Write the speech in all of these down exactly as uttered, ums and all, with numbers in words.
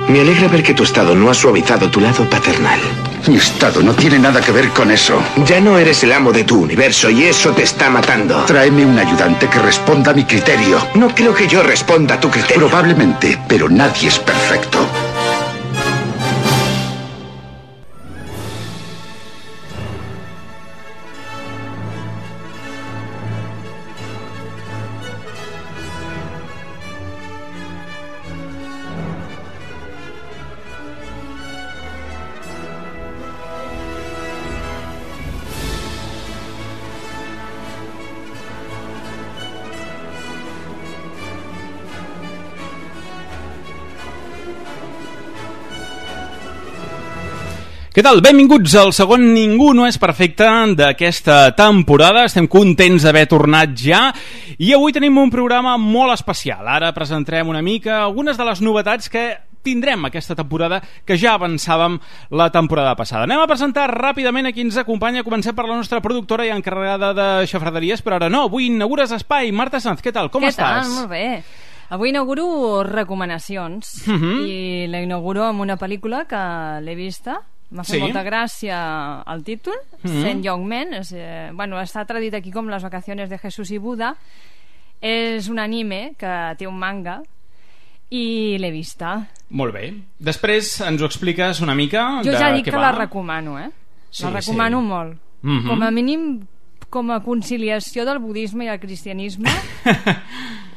Me alegra ver que tu estado no ha suavizado tu lado paternal. Mi estado no tiene nada que ver con eso. Ya no eres el amo de tu universo y eso te está matando. Tráeme un ayudante que responda a mi criterio. No creo que yo responda a tu criterio. Probablemente, pero nadie es perfecto. Què tal? Benvinguts al segon Ningú no és perfecte d'aquesta temporada. Estem contents d'haver tornat ja i avui tenim un programa molt especial. Ara presentarem una mica algunes de les novetats que tindrem aquesta temporada, que ja avançàvem la temporada passada. Anem a presentar ràpidament a qui ens acompanya. Comencem per la nostra productora i encarregada de xafraderies, però ara no, avui inaugures espai. Marta Sanz, què tal? Com què estàs? Què tal? Molt bé. Avui inauguro recomanacions uh -huh. i la inauguro amb una pel·lícula que l'he vista. M'ha fet sí. molta gràcia el títol, mm-hmm. Saint Young Men. És, eh, bueno, està traduït aquí com Les vacaciones de Jesús i Buda. És un anime que té un manga i l'he vista. Molt bé. Després ens ho expliques una mica. Jo de ja dic què que va. la recomano, eh? Sí, la recomano sí. molt. Mm-hmm. Com a mínim, com a conciliació del budisme i el cristianisme,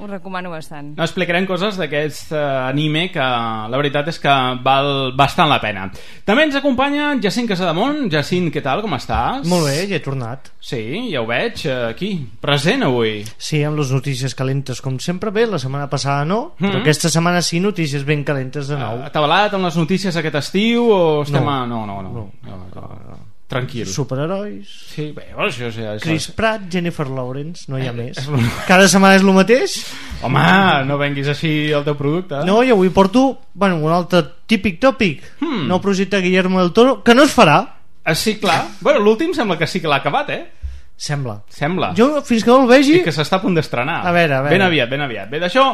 ho recomano bastant. No, explicarem coses d'aquest uh, anime que la veritat és que val bastant la pena. També ens acompanya Jacint Casademont. Jacint, què tal? Com estàs? Molt bé, ja he tornat. Sí, ja ho veig, aquí, present avui. Sí, amb les notícies calentes com sempre. Bé, la setmana passada no, mm-hmm. però aquesta setmana sí, notícies ben calentes de nou. Uh, Atabalat amb les notícies aquest estiu o estem no. a... No, no, no. no. no, no, no. Tranquil. Superherois. Sí, bé, bueno, això, això, això. Chris Pratt, Jennifer Lawrence, no hi ha eh, més. Cada setmana és el mateix. Home, no venguis així el teu producte. No, i avui porto, bueno, un altre típic tòpic. Hmm. Nou projecte de Guillermo del Toro, que no es farà. Ah, sí, clar. Bueno, l'últim sembla que sí que l'ha acabat, eh? Sembla. Sembla. Jo, fins que no el vegi... I que s'està a punt d'estrenar. A veure, a veure. Ben aviat, ben aviat. Bé, d'això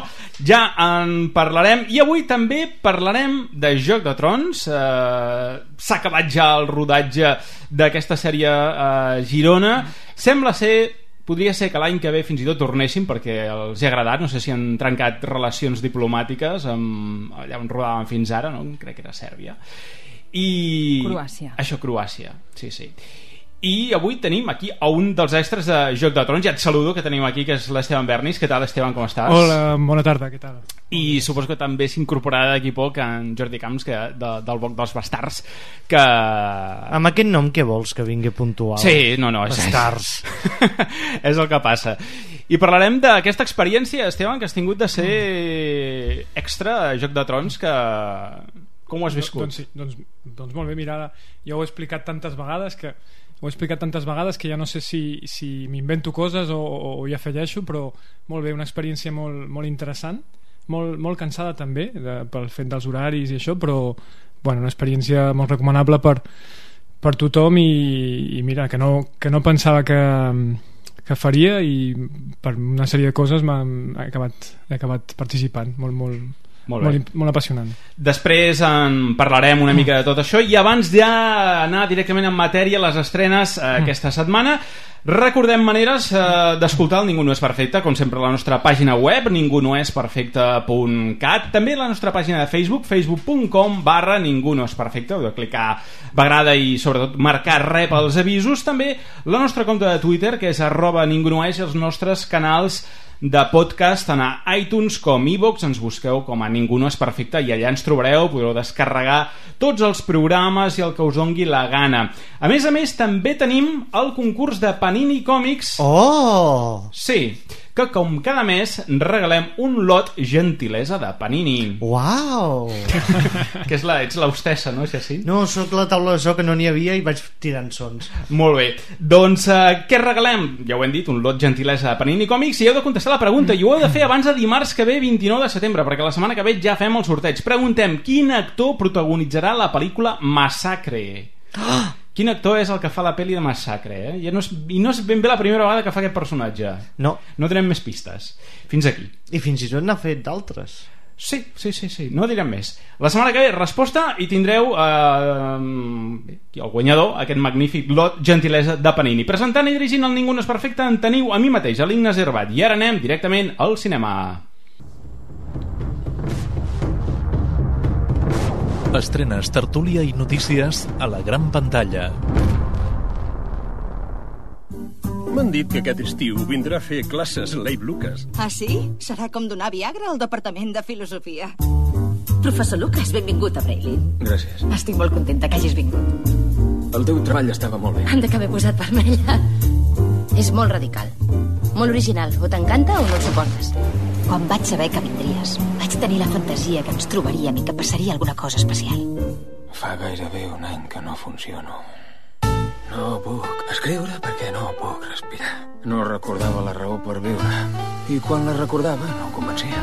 ja en parlarem. I avui també parlarem de Joc de Trons. Eh, s'ha acabat ja el rodatge d'aquesta sèrie a eh, Girona. Sembla ser... Podria ser que l'any que ve fins i tot tornessin perquè els ha agradat. No sé si han trencat relacions diplomàtiques amb... allà on rodaven fins ara, no? Crec que era Sèrbia. I... Croàcia. Això, Croàcia. Sí, sí. I avui tenim aquí a un dels extras de Joc de Trons. Ja et saludo, que tenim aquí, que és l'Esteban Bernis. Què tal, Esteban, com estàs? Hola, bona tarda, què tal? I suposo que també s'incorporarà d'aquí poc en Jordi Camps, que, de, del Boc dels Bastards, que... Amb aquest nom què vols que vingui puntual? Sí, no, no, és... Bastards. És el que passa. I parlarem d'aquesta experiència, Esteban, que has tingut de ser extra a Joc de Trons, que... Com ho has viscut? Doncs, sí, doncs, doncs molt bé, mira, ara jo ho he explicat tantes vegades que ho he explicat tantes vegades que ja no sé si, si m'invento coses o, o, o ja afegeixo, però molt bé, una experiència molt, molt interessant, molt, molt cansada també de, pel fet dels horaris i això, però bueno, una experiència molt recomanable per, per tothom i, i mira, que no, que no pensava que, que faria, i per una sèrie de coses m'ha acabat, he acabat participant molt, molt, Molt, molt, molt apassionant. Després en parlarem una mica de tot això, i abans d'anar directament en matèria, les estrenes eh, aquesta setmana, recordem maneres eh, d'escoltar el Ningú no és perfecte, com sempre a la nostra pàgina web ningú no és perfecte punt cat, també la nostra pàgina de Facebook, facebook punt com barra ningú no és perfecte. Heu de clicar m'agrada i sobretot marcar rep els avisos. També la nostra compte de Twitter, que és arroba ningú no és, i els nostres canals de podcast, tant a iTunes com iVoox. Ens busqueu com a Ningú no és perfecte i allà ens trobareu, podreu descarregar tots els programes i el que us dongui la gana. A més a més, també tenim el concurs de Panini Còmics. Oh! Sí, que com cada mes regalem un lot gentilesa de Panini. Uau! Que és la, ets l'hostessa, no, Jacint? No, sóc la taula de so que no n'hi havia i vaig tirant sons. Molt bé. Doncs eh, què regalem? Ja ho hem dit, un lot gentilesa de Panini Còmics, i heu de contestar la pregunta, i ho heu de fer abans de dimarts que ve, vint-i-nou de setembre, perquè la setmana que ve ja fem el sorteig. Preguntem, quin actor protagonitzarà la pel·lícula Massacre? Ah! Quin actor és el que fa la pel·li de Massacre, eh? I no és, i no és ben bé la primera vegada que fa aquest personatge. No. No tenem més pistes. Fins aquí. I fins i tot n'ha fet d'altres. Sí, sí, sí, sí, no direm més. La setmana que ve, resposta, i tindreu eh, el guanyador, aquest magnífic lot gentilesa de Panini. Presentant i dirigint el Ningú no és perfecte en teniu a mi mateix, a l'Ignasi Herbat. I ara anem directament al cinema. Estrenes, tertúlia i notícies a la gran pantalla. M'han dit que aquest estiu vindrà a fer classes l'Abe Lucas. Ah, sí? Serà com donar Viagra al Departament de Filosofia. Professor Lucas, benvingut a Braylin. Gràcies. Estic molt contenta que hagis vingut. El teu treball estava molt bé. Han de que m'he posat vermella. És molt radical, molt original. O t'encanta o no el suportes. Quan vaig saber que vindries, vaig tenir la fantasia que ens trobaríem i que passaria alguna cosa especial. Fa gairebé un any que no funciono. No puc escriure perquè no puc respirar. No recordava la raó per viure. I quan la recordava no em convencia.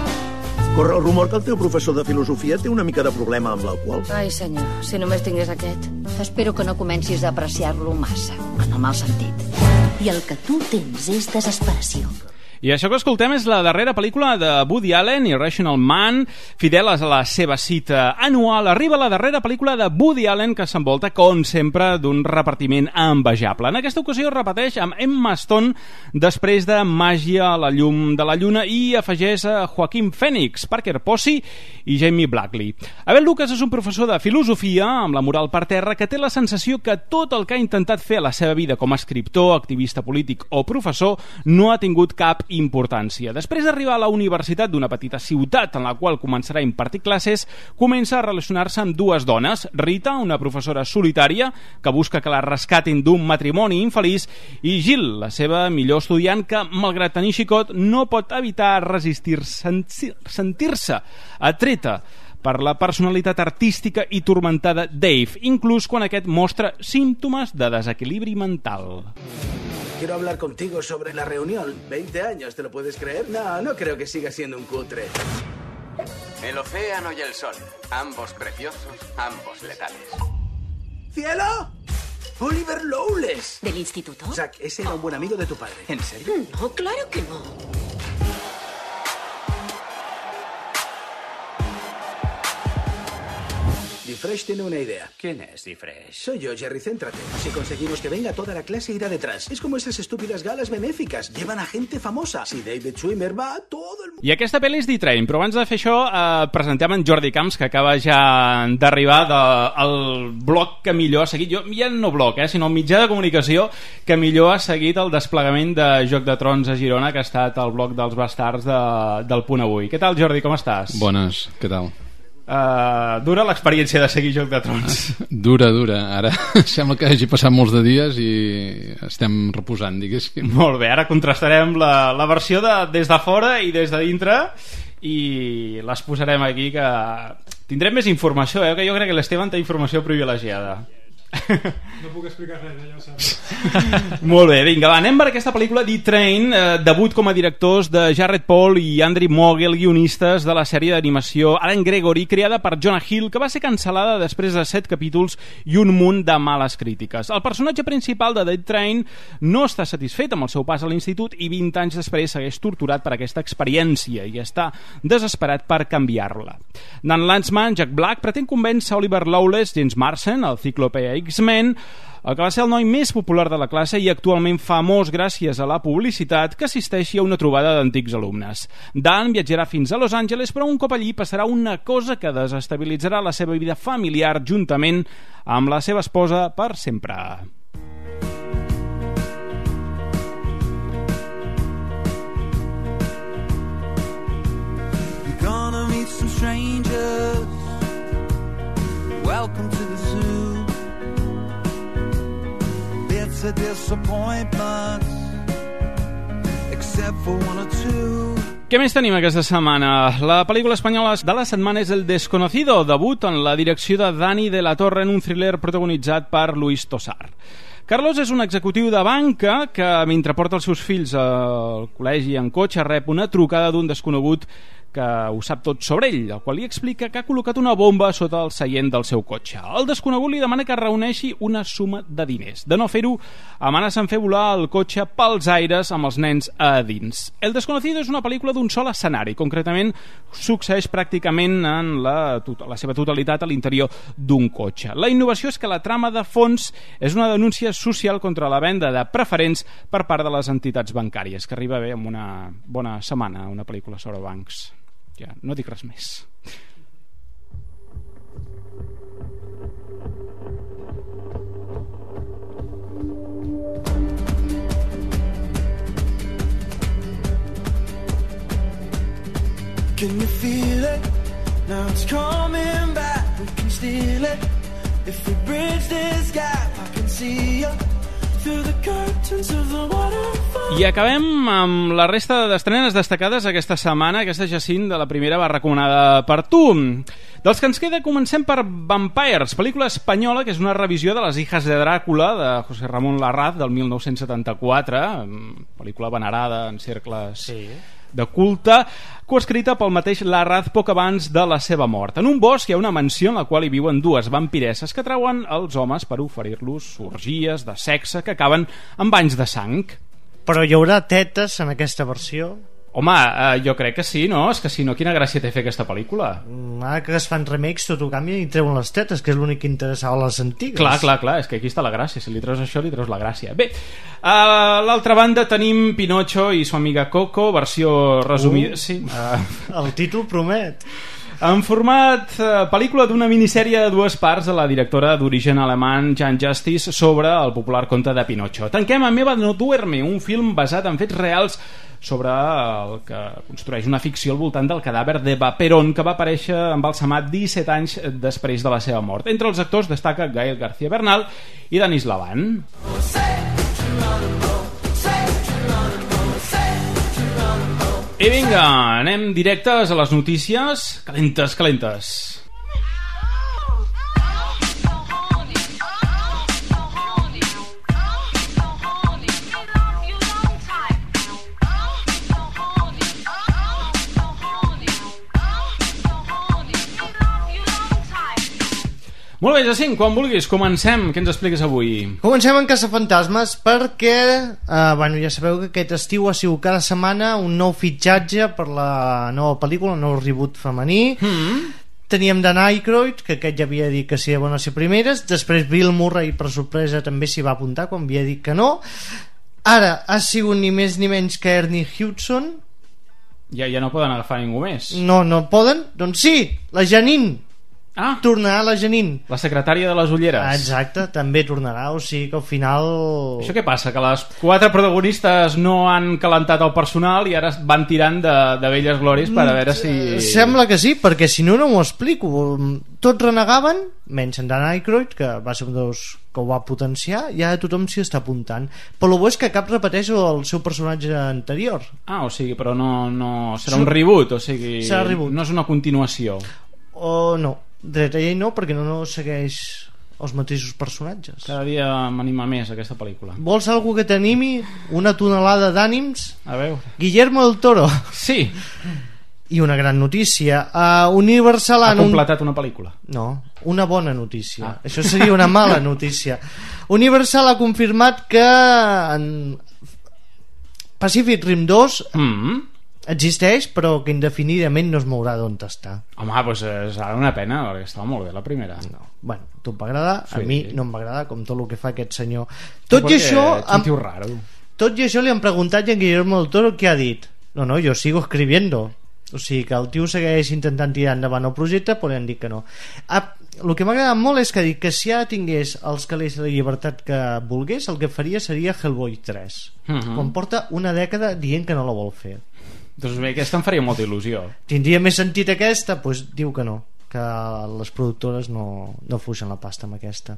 Corre el rumor que el teu professor de filosofia té una mica de problema amb l'alcohol. Ai, senyor, si només tingués aquest. Espero que no comencis a apreciar-lo massa, en el mal sentit. I el que tu tens és desesperació. I això que escoltem és la darrera pel·lícula de Woody Allen, Irrational Man. Fidel a la seva cita anual, arriba la darrera pel·lícula de Woody Allen que s'envolta, com sempre, d'un repartiment envejable. En aquesta ocasió repeteix amb Emma Stone després de Màgia a la llum de la lluna i afegeix a Joaquin Phoenix, Parker Posey i Jamie Blackley. Abel Lucas és un professor de filosofia amb la moral per terra que té la sensació que tot el que ha intentat fer a la seva vida com a escriptor, activista polític o professor no ha tingut cap importància. Després d'arribar a la universitat d'una petita ciutat en la qual començarà a impartir classes, comença a relacionar-se amb dues dones, Rita, una professora solitària que busca que la rescatin d'un matrimoni infeliç, i Jill, la seva millor estudiant que, malgrat tenir xicot, no pot evitar resistir sentir-se atreta per la personalitat artística i turmentada Dave, inclús quan aquest mostra símptomes de desequilibri mental. Quiero hablar contigo sobre la reunión. veinte años, ¿te lo puedes creer? No, no creo que siga siendo un cutre. El océano y el sol, ambos preciosos, ambos letales. ¿Cielo? Oliver Lowles. ¿Del instituto? Zack, ese era un buen amigo de tu padre. ¿En serio? No, claro que no. Fresh tiene una idea. ¿Quién es Fresh? Soy yo, Jerry, céntrate. Si conseguimos que venga, toda la clase irá detrás. Es como esas estúpidas galas benéficas. Llevan a gente famosa. Si David Schwimmer va, todo el mundo... I aquesta pel·li és D-Train, però abans de fer això eh, presentem en Jordi Camps, que acaba ja d'arribar del de, blog que millor ha seguit, jo ja no blog, eh, sinó el mitjà de comunicació que millor ha seguit el desplegament de Joc de Trons a Girona, que ha estat el blog dels bastards de, del Punt Avui. Què tal, Jordi, com estàs? Bones, què tal? Uh, dura l'experiència de seguir Joc de Trons? Dura, dura. Ara sembla que hagi passat molts de dies i estem reposant, diguéssim. Molt bé, ara contrastarem la, la versió de, des de fora i des de dintre i les posarem aquí, que tindrem més informació, eh? Que jo crec que l'Esteban té informació privilegiada. No puc explicar res, ja ho saps. Molt bé, vinga, va, anem per aquesta pel·lícula D-Train, eh, debut com a directors de Jared Paul i Andrew Mogel, guionistes de la sèrie d'animació Alan Gregory, creada per Jonah Hill, que va ser cancel·lada després de set capítols i un munt de males crítiques. El personatge principal de D-Train no està satisfet amb el seu pas a l'institut i vint anys després segueix torturat per aquesta experiència i està desesperat per canviar-la. Dan Lanzman, Jack Black, pretén convèncer Oliver Lowles, James Marsden, el Cíclope X-Men, el que va ser el noi més popular de la classe i actualment famós gràcies a la publicitat, que assisteixi a una trobada d'antics alumnes. Dan viatjarà fins a Los Angeles, però un cop allí passarà una cosa que desestabilitzarà la seva vida familiar juntament amb la seva esposa per sempre. You're gonna meet some strangers. Welcome to the zoo. It's a disappointment, except for one or two. Què més tenim aquesta setmana? La pel·lícula espanyola de la setmana és El Desconocido, debut en la direcció de Dani de la Torre en un thriller protagonitzat per Luis Tosar. Carlos és un executiu de banca que, mentre porta els seus fills al col·legi en cotxe, rep una trucada d'un desconegut que ho sap tot sobre ell, el qual li explica que ha col·locat una bomba sota el seient del seu cotxe. El desconegut li demana que reuneixi una suma de diners. De no fer-ho, amenaça en fer volar el cotxe pels aires amb els nens a dins. El Desconocido és una pel·lícula d'un sol escenari, concretament succeeix pràcticament en la, la seva totalitat a l'interior d'un cotxe. La innovació és que la trama de fons és una denúncia social contra la venda de preferents per part de les entitats bancàries, que arriba bé amb una bona setmana, una pel·lícula sobre bancs. Ja, no dic res més. Can you feel it? Now it's coming back. We can steal it. If we bridge this gap, I can see you through the curtains of the waterfall. I acabem amb la resta d'estrenes destacades aquesta setmana. Aquesta, Jacint, de la primera va recomanada per tu. Dels que ens queda, comencem per Vampires, pel·lícula espanyola que és una revisió de Les hijas de Dràcula de José Ramón Larraz del mil nou-cents setanta-quatre, pel·lícula venerada en cercles sí. de culte, coescrita pel mateix Larraz poc abans de la seva mort. En un bosc hi ha una mansió en la qual hi viuen dues vampiresses que trauen els homes per oferir-los orgies de sexe que acaben amb banys de sang. Però hi haurà tetes en aquesta versió? Home, eh, jo crec que sí, no? És que si no, quina gràcia té fer aquesta pel·lícula? Ara que es fan remakes tot ho canvia i treuen les tetes, que és l'únic que interessava a les antigues. Clar, clar, clar, és que aquí està la gràcia. Si li treus això, li treus la gràcia. Bé, a l'altra banda tenim Pinocho i su amiga Coco, versió resumida. Uh, sí. uh, el títol promet. En format eh, pel·lícula d'una minissèrie de dues parts de la directora d'origen alemany Jan Justice sobre el popular conte de Pinocho. Tanquem amb Eva no duerme, un film basat en fets reals sobre el que construeix una ficció al voltant del cadàver d'Eva Perón, que va aparèixer embalsamat disset anys després de la seva mort. Entre els actors destaca Gael García Bernal i Denis Lavant. I vinga, anem directes a les notícies calentes, calentes. Molt bé, Jacint, quan vulguis, comencem. Què ens expliques avui? Comencem en Caçafantasmes perquè, eh, bueno, ja sabeu que aquest estiu ha sigut cada setmana un nou fitxatge per la nova pel·lícula, un nou reboot femení. Mm-hmm. Teníem Dan Aykroyd, que aquest ja havia dit que sí, van ser primeres. Després Bill Murray, per sorpresa, també s'hi va apuntar quan havia dit que no. Ara ha sigut ni més ni menys que Ernie Hudson. Ja, ja no poden agafar ningú més. No, no poden? Doncs sí, la Janine. Ah. Tornarà la Janine, la secretària de les ulleres. Ah, exacte, també tornarà. O sigui que al final... Això què passa? Que les quatre protagonistes no han calentat el personal i ara van tirant de, de velles glòries per a veure si... Sembla que sí, perquè si no, no m'ho explico. Tots renegaven, menys en Dan Aykroyd, que va ser un dels que ho va potenciar, i ara tothom s'hi està apuntant. Però el bo és que cap repeteix el seu personatge anterior. Ah, o sigui, però no, no... serà un reboot, o sigui... Serà reboot. No és una continuació. O no. Dret a llei no, perquè no, no segueix els mateixos personatges. Cada dia m'anima més aquesta pel·lícula. Vols algú que t'animi? Una tonelada d'ànims? A veure. Guillermo del Toro. Sí. I una gran notícia. Uh, Universal ha completat un... una pel·lícula. No, una bona notícia. Ah. Això seria una mala notícia. Universal ha confirmat que en Pacific Rim dos... Mm-hmm. existeix, però que indefinidament no es mourà d'on està. Home, doncs és una pena, perquè estava molt bé la primera. No. Bueno, a tu em va agradar, sí. A mi no em va agradar, com tot el que fa aquest senyor. Tot i això... Am... raro. Tot i això li han preguntat a Guillermo del Toro què ha dit. No, no, jo sigo escribiendo. O sigui que el tio segueix intentant tirar endavant el projecte, però han dit que no. Ah, el que m'ha agradat molt és que ha dit que si ara tingués els calés de la llibertat que volgués, el que faria seria Hellboy tres. Uh-huh. Quan porta una dècada dient que no la vol fer. Doncs bé, aquesta em faria molta il·lusió. Tindria més sentit aquesta? Doncs pues diu que no, que les productores no, no fuixen la pasta amb aquesta.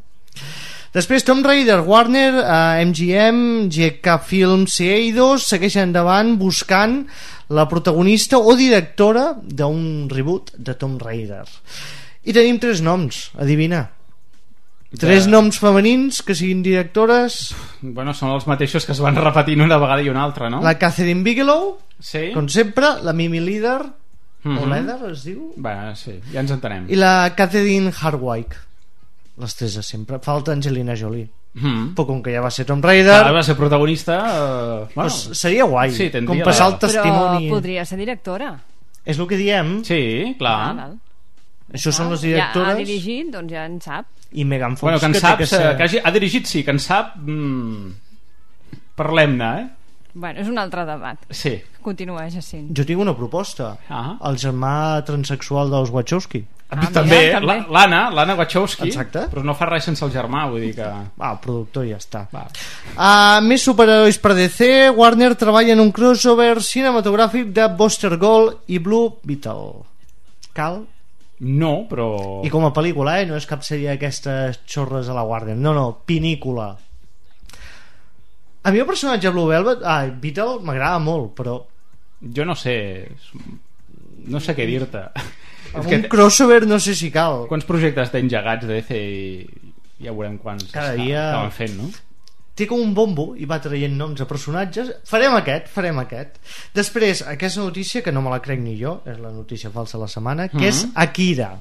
Després Tomb Raider, Warner, eh, M G M, G K Films i Eidos segueixen endavant buscant la protagonista o directora d'un reboot de Tomb Raider. I tenim tres noms, adivina. Tres de... noms femenins que siguin directores. Bueno, són els mateixos que es van repetint una vegada i una altra, no? La Catherine Bigelow, sí. Com sempre, la Mimi Leader Mm-hmm. o Leather es diu? Bé, sí, ja ens entenem. I la Catherine Hardwicke, les tres de sempre. Falta Angelina Jolie. Mm. Però com que ja va ser Tomb Raider, ah, va ser protagonista, eh... bueno, pues seria guai, sí, com passar el testimoni. Però podria ser directora. És el que diem. Sí, clar. Ah, val. Això ah, són les directores. Ja ha dirigit, doncs ja en sap. I Megan Fox, bueno, que en que sap, que ser... que hagi, ha dirigit, sí, que en sap. Mm, parlem-ne, eh? Bueno, és un altre debat. Sí. Continua, Jacint. Jo tinc una proposta. Ah. El germà transexual dels Wachowski. Ah, també, també. l'Anna, l'Anna Wachowski. Exacte. Però no fa res sense el germà, vull dir que... Ah, el productor ja està. Uh, més superherois per D C. Warner treballa en un crossover cinematogràfic de Buster Gold i Blue Beetle. Cal? No, però... I com a pel·lícula, eh? No és cap sèrie d'aquestes xorres a la Warner. No, no, pinícula. A mi el personatge Blue Velvet, ah, Beetle, m'agrada molt, però... Jo no sé... No sé què dir-te. Amb un crossover no sé si cal. Quants projectes té engegats D C i ja veurem quants cada dia estaven fent, no? Té com un bombo i va traient noms a personatges. Farem aquest, farem aquest. Després, aquesta notícia, que no me la crec ni jo, és la notícia falsa de la setmana, que mm-hmm. és Akira.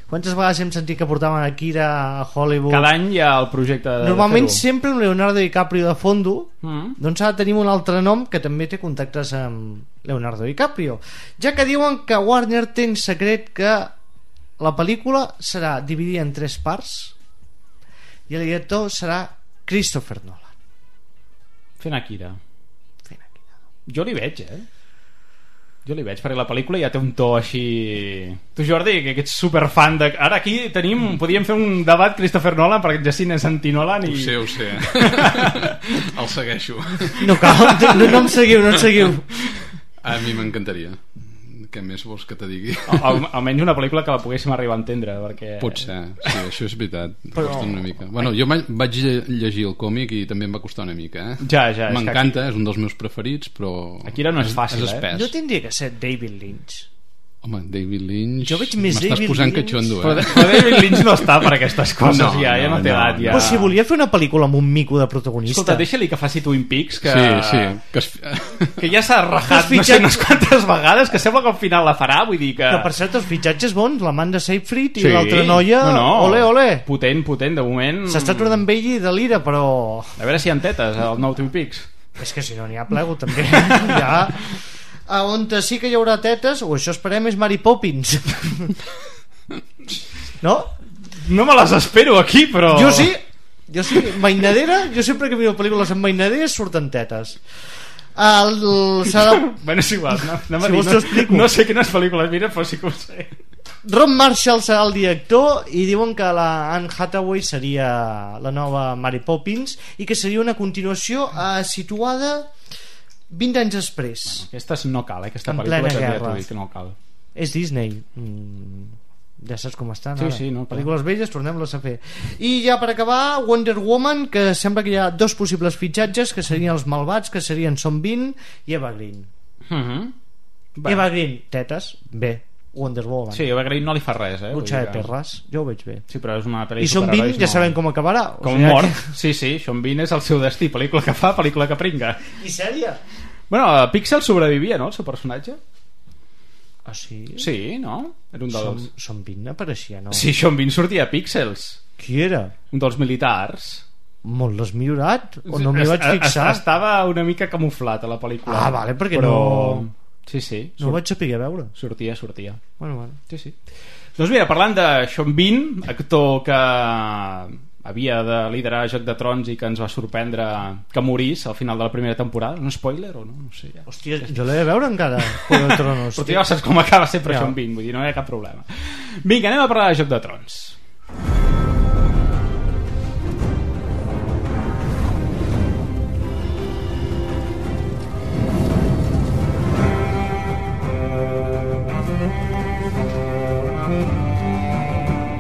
Quantes vegades hem sentit que portaven Akira a Hollywood? Cada any hi ha el projecte de normalment de sempre amb Leonardo DiCaprio de fondo, mm. doncs ha de tenir un altre nom que també té contactes amb Leonardo DiCaprio, ja que diuen que Warner té en secret que la pel·lícula serà dividida en tres parts i el director serà Christopher Nolan. Fent Akira. Fent Akira. Jo li veig, eh? Jo li veig, perquè la pel·lícula ja té un to així... Tu, Jordi, que ets superfan de... Ara aquí tenim... Podríem fer un debat Christopher Nolan, perquè Jacint és anti-Nolan i... Ho sé, ho sé. El segueixo. No cal, no, no em seguiu, no em seguiu. A mi m'encantaria. Què més vols que te digui? Al, almenys una pel·lícula que la poguéssim arribar a entendre, perquè... Potser, sí, això és veritat. Però... Costa una mica. Bueno, jo vaig llegir el còmic i també em va costar una mica, eh? Ja, ja. M'encanta, és, és un dels meus preferits, però... Akira no és fàcil, és eh? No tindria que ser David Lynch. Home, David Lynch... Jo veig més M'estàs David posant Lynch... catxondo, eh? Però, però David Lynch no està per aquestes coses, no, ja, ja no, no té edat. Ja. Però si volia fer una pel·lícula amb un mico de protagonista... Escolta, deixa-li que faci Twin Peaks, que... Sí, sí. Que, es... que ja s'ha rajat no sé unes quantes vegades, que sembla que al final la farà, vull dir que... Que per cert, els fitxatges bons, l'Amanda Seyfried i sí. l'altra noia... No, no. Ole, ole. Potent, potent, de moment... S'està tornant vell i de l'ira, però... A veure si hi ha tetes, el nou Twin Peaks. És que si no n'hi ha plego, també. Ja... A on sí que hi haurà tetes, o això esperem, és Mary Poppins. No? No me les espero aquí, però... Jo sí, jo sí, mainadera, jo sempre que miro pel·lícules amb mainaderes surten tetes. El, de... Bueno, és igual, no, no, si dir, no, no sé quines pel·lícules mira, però sí que ho sé. Ron Marshall serà el director i diuen que la Anne Hathaway seria la nova Mary Poppins i que seria una continuació eh, situada vint anys després. Bueno, aquesta no cal, eh? Aquesta en pel·lícula plena guerra. Que no cal. És Disney. Mm, ja saps com estan sí, ara. sí, no, pel·lícules velles, tornem-les a fer. I ja per acabar, Wonder Woman, que sembla que hi ha dos possibles fitxatges, que serien els malvats, que serien Sean Bean i Eva Green. Uh-huh. Eva Green, tetes, bé. Wonder Woman. Sí, Eva Green no li fa res, eh? Lucha de perres, jo ho veig bé. Sí, però és una pel·lícula... I Sean Bean ja no... sabem com acabarà. Com o sigui, mort. Que... Sí, sí, Sean Bean és el seu destí. Pel·lícula que fa, pel·lícula que pringa. I sèrie? Bueno, Pixel sobrevivia, no, el seu personatge? Ah, sí? Sí, no? Era un dels... Sean, Sean Bean apareixia, no? Sí, Sean Bean sortia a Pixels. Qui era? Un dels militars. Molt desmillorat? O no m'hi vaig fixar? Estava una mica camuflat a la pel·lícula. Ah, vale, perquè però... no... Sí, sí. No ho vaig saber a veure. Sortia, sortia. Bueno, bueno. Sí, sí. Doncs mira, parlant de Sean Bean, actor que havia de liderar Joc de Trons i que ens va sorprendre que morís al final de la primera temporada. Un spoiler o no? No sé. Ja. Hòstia, jo l'he de veure encara, Joc de Tronos. Però tu ja saps com acaba sempre ja. Sean Bean, vull dir, no hi ha cap problema. Vinga, anem a parlar de Joc de Trons.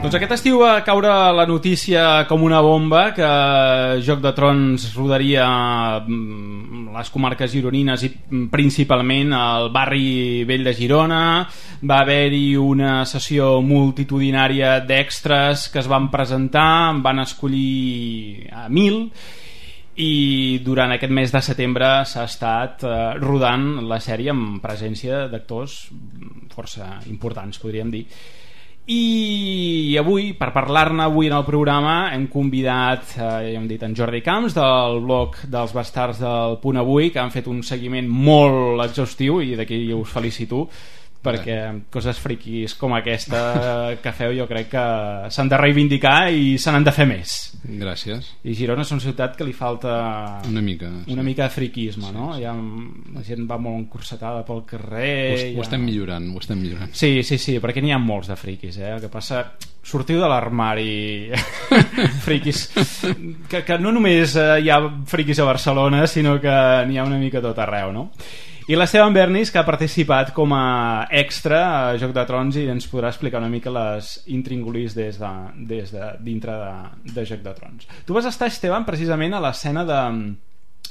Doncs aquest estiu va caure la notícia com una bomba que Joc de Trons rodaria les comarques gironines i principalment al barri vell de Girona. Va haver-hi una sessió multitudinària d'extras que es van presentar, van escollir a mil i durant aquest mes de setembre s'ha estat eh, rodant la sèrie amb presència d'actors força importants, podríem dir. I avui, per parlar-ne avui en el programa, hem convidat, eh, ja hem dit, en Jordi Camps del blog dels Bastards del Punt Avui, que han fet un seguiment molt exhaustiu i d'aquí us felicito, perquè coses friquis com aquesta que feu jo crec que s'han de reivindicar i se n'han de fer més. Gràcies. I Girona és una ciutat que li falta una mica, una sí. mica de friquisme, no? Ja, la gent va molt encursetada pel carrer. Ho, ja... ho estem millorant, ho estem millorant. Sí, sí, sí, perquè n'hi ha molts de friquis, eh? El que passa, sortiu de l'armari friquis, que, que no només hi ha friquis a Barcelona, sinó que n'hi ha una mica tot arreu, no? I l'Esteban Bernis, que ha participat com a extra a Joc de Trons i ens podrà explicar una mica les intríngulis des de, des de dintre de, de Joc de Trons. Tu vas estar, Esteban, precisament a l'escena de,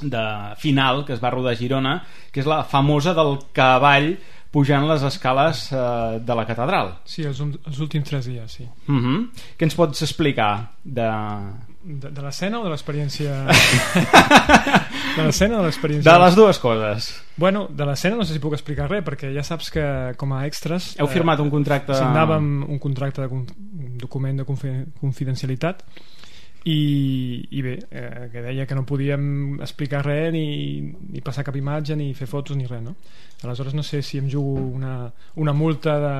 de final que es va rodar a Girona, que és la famosa del cavall pujant les escales eh, de la catedral. Sí, els, els últims tres dies, sí. Uh-huh. Què ens pots explicar de... De, de l'escena o de l'experiència? De l'escena o de l'experiència? De les dues coses. Bueno, de l'escena no sé si puc explicar res, perquè ja saps que com a extras... Heu firmat un contracte... Eh, signàvem un contracte, de, un document de confidencialitat i, i bé, eh, que deia que no podíem explicar res ni, ni passar cap imatge ni fer fotos ni res, no? Aleshores no sé si em jugo una, una multa de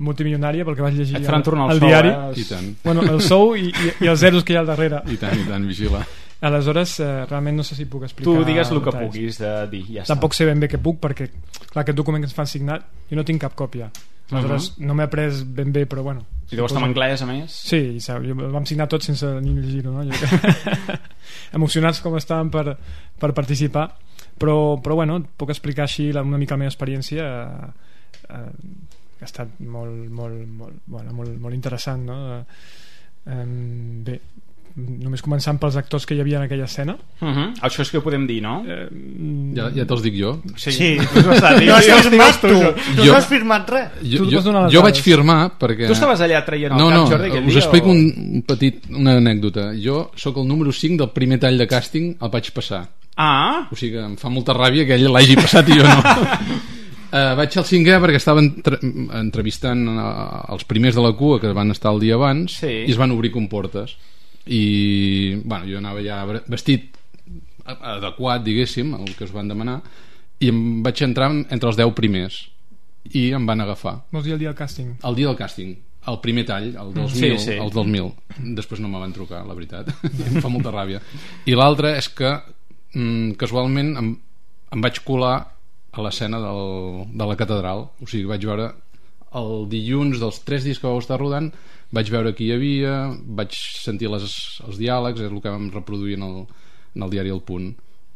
multimilionària pel que vaig llegir al, al sou, diari eh? I tant. Bueno, el sou i, i, i els zeros que hi ha al darrere i tant, i tant, vigila. Aleshores eh, realment no sé si puc explicar tu digues el que detalls. puguis de dir, ja tampoc està. sé ben bé què puc perquè clar, aquest document que ens fan signar jo no tinc cap còpia, aleshores uh-huh. no m'he après ben bé però bueno i deu estar en anglès a més? Sí, jo, vam signar tots sense ni llegir-ho, no? Emocionats com estàvem per, per participar però, però bueno, puc explicar així una mica la meva experiència eh, eh, que ha estat molt, molt, molt, bueno, molt, molt interessant, no? Eh, bé, només començant pels actors que hi havia en aquella escena. Uh-huh. Això és que ho podem dir, no? Eh, ja ja te'ls dic jo. Sí, sí. Tu has estat, no has firmat tu, tu no has firmat res. Jo, jo, jo vaig firmar perquè... Tu estaves allà traient el no, cap, no, Jordi, aquell us dia? explico o... un petit, una anècdota. Jo sóc el número cinc del primer tall de càsting, el vaig passar. Ah! O sigui que em fa molta ràbia que ell l'hagi passat i jo no. Uh, vaig al cinquè perquè estava entre, entrevistant uh, els primers de la cua que van estar el dia abans sí. i es van obrir comportes i bueno, jo anava ja vestit adequat, diguéssim, el que us van demanar i em vaig entrar entre els deu primers i em van agafar. Vols dir el dia del càsting? El dia del càsting, el primer tall, el dos mil, sí, sí. el dos mil. Després no me van trucar, la veritat. Em fa molta ràbia. I l'altre és que mm, casualment em, em vaig colar a l'escena del, de la catedral, o sigui, vaig veure el dilluns dels tres dies que vau estar rodant, vaig veure qui hi havia, vaig sentir les, els diàlegs, és el que vam reproduir en el, en el diari El Punt.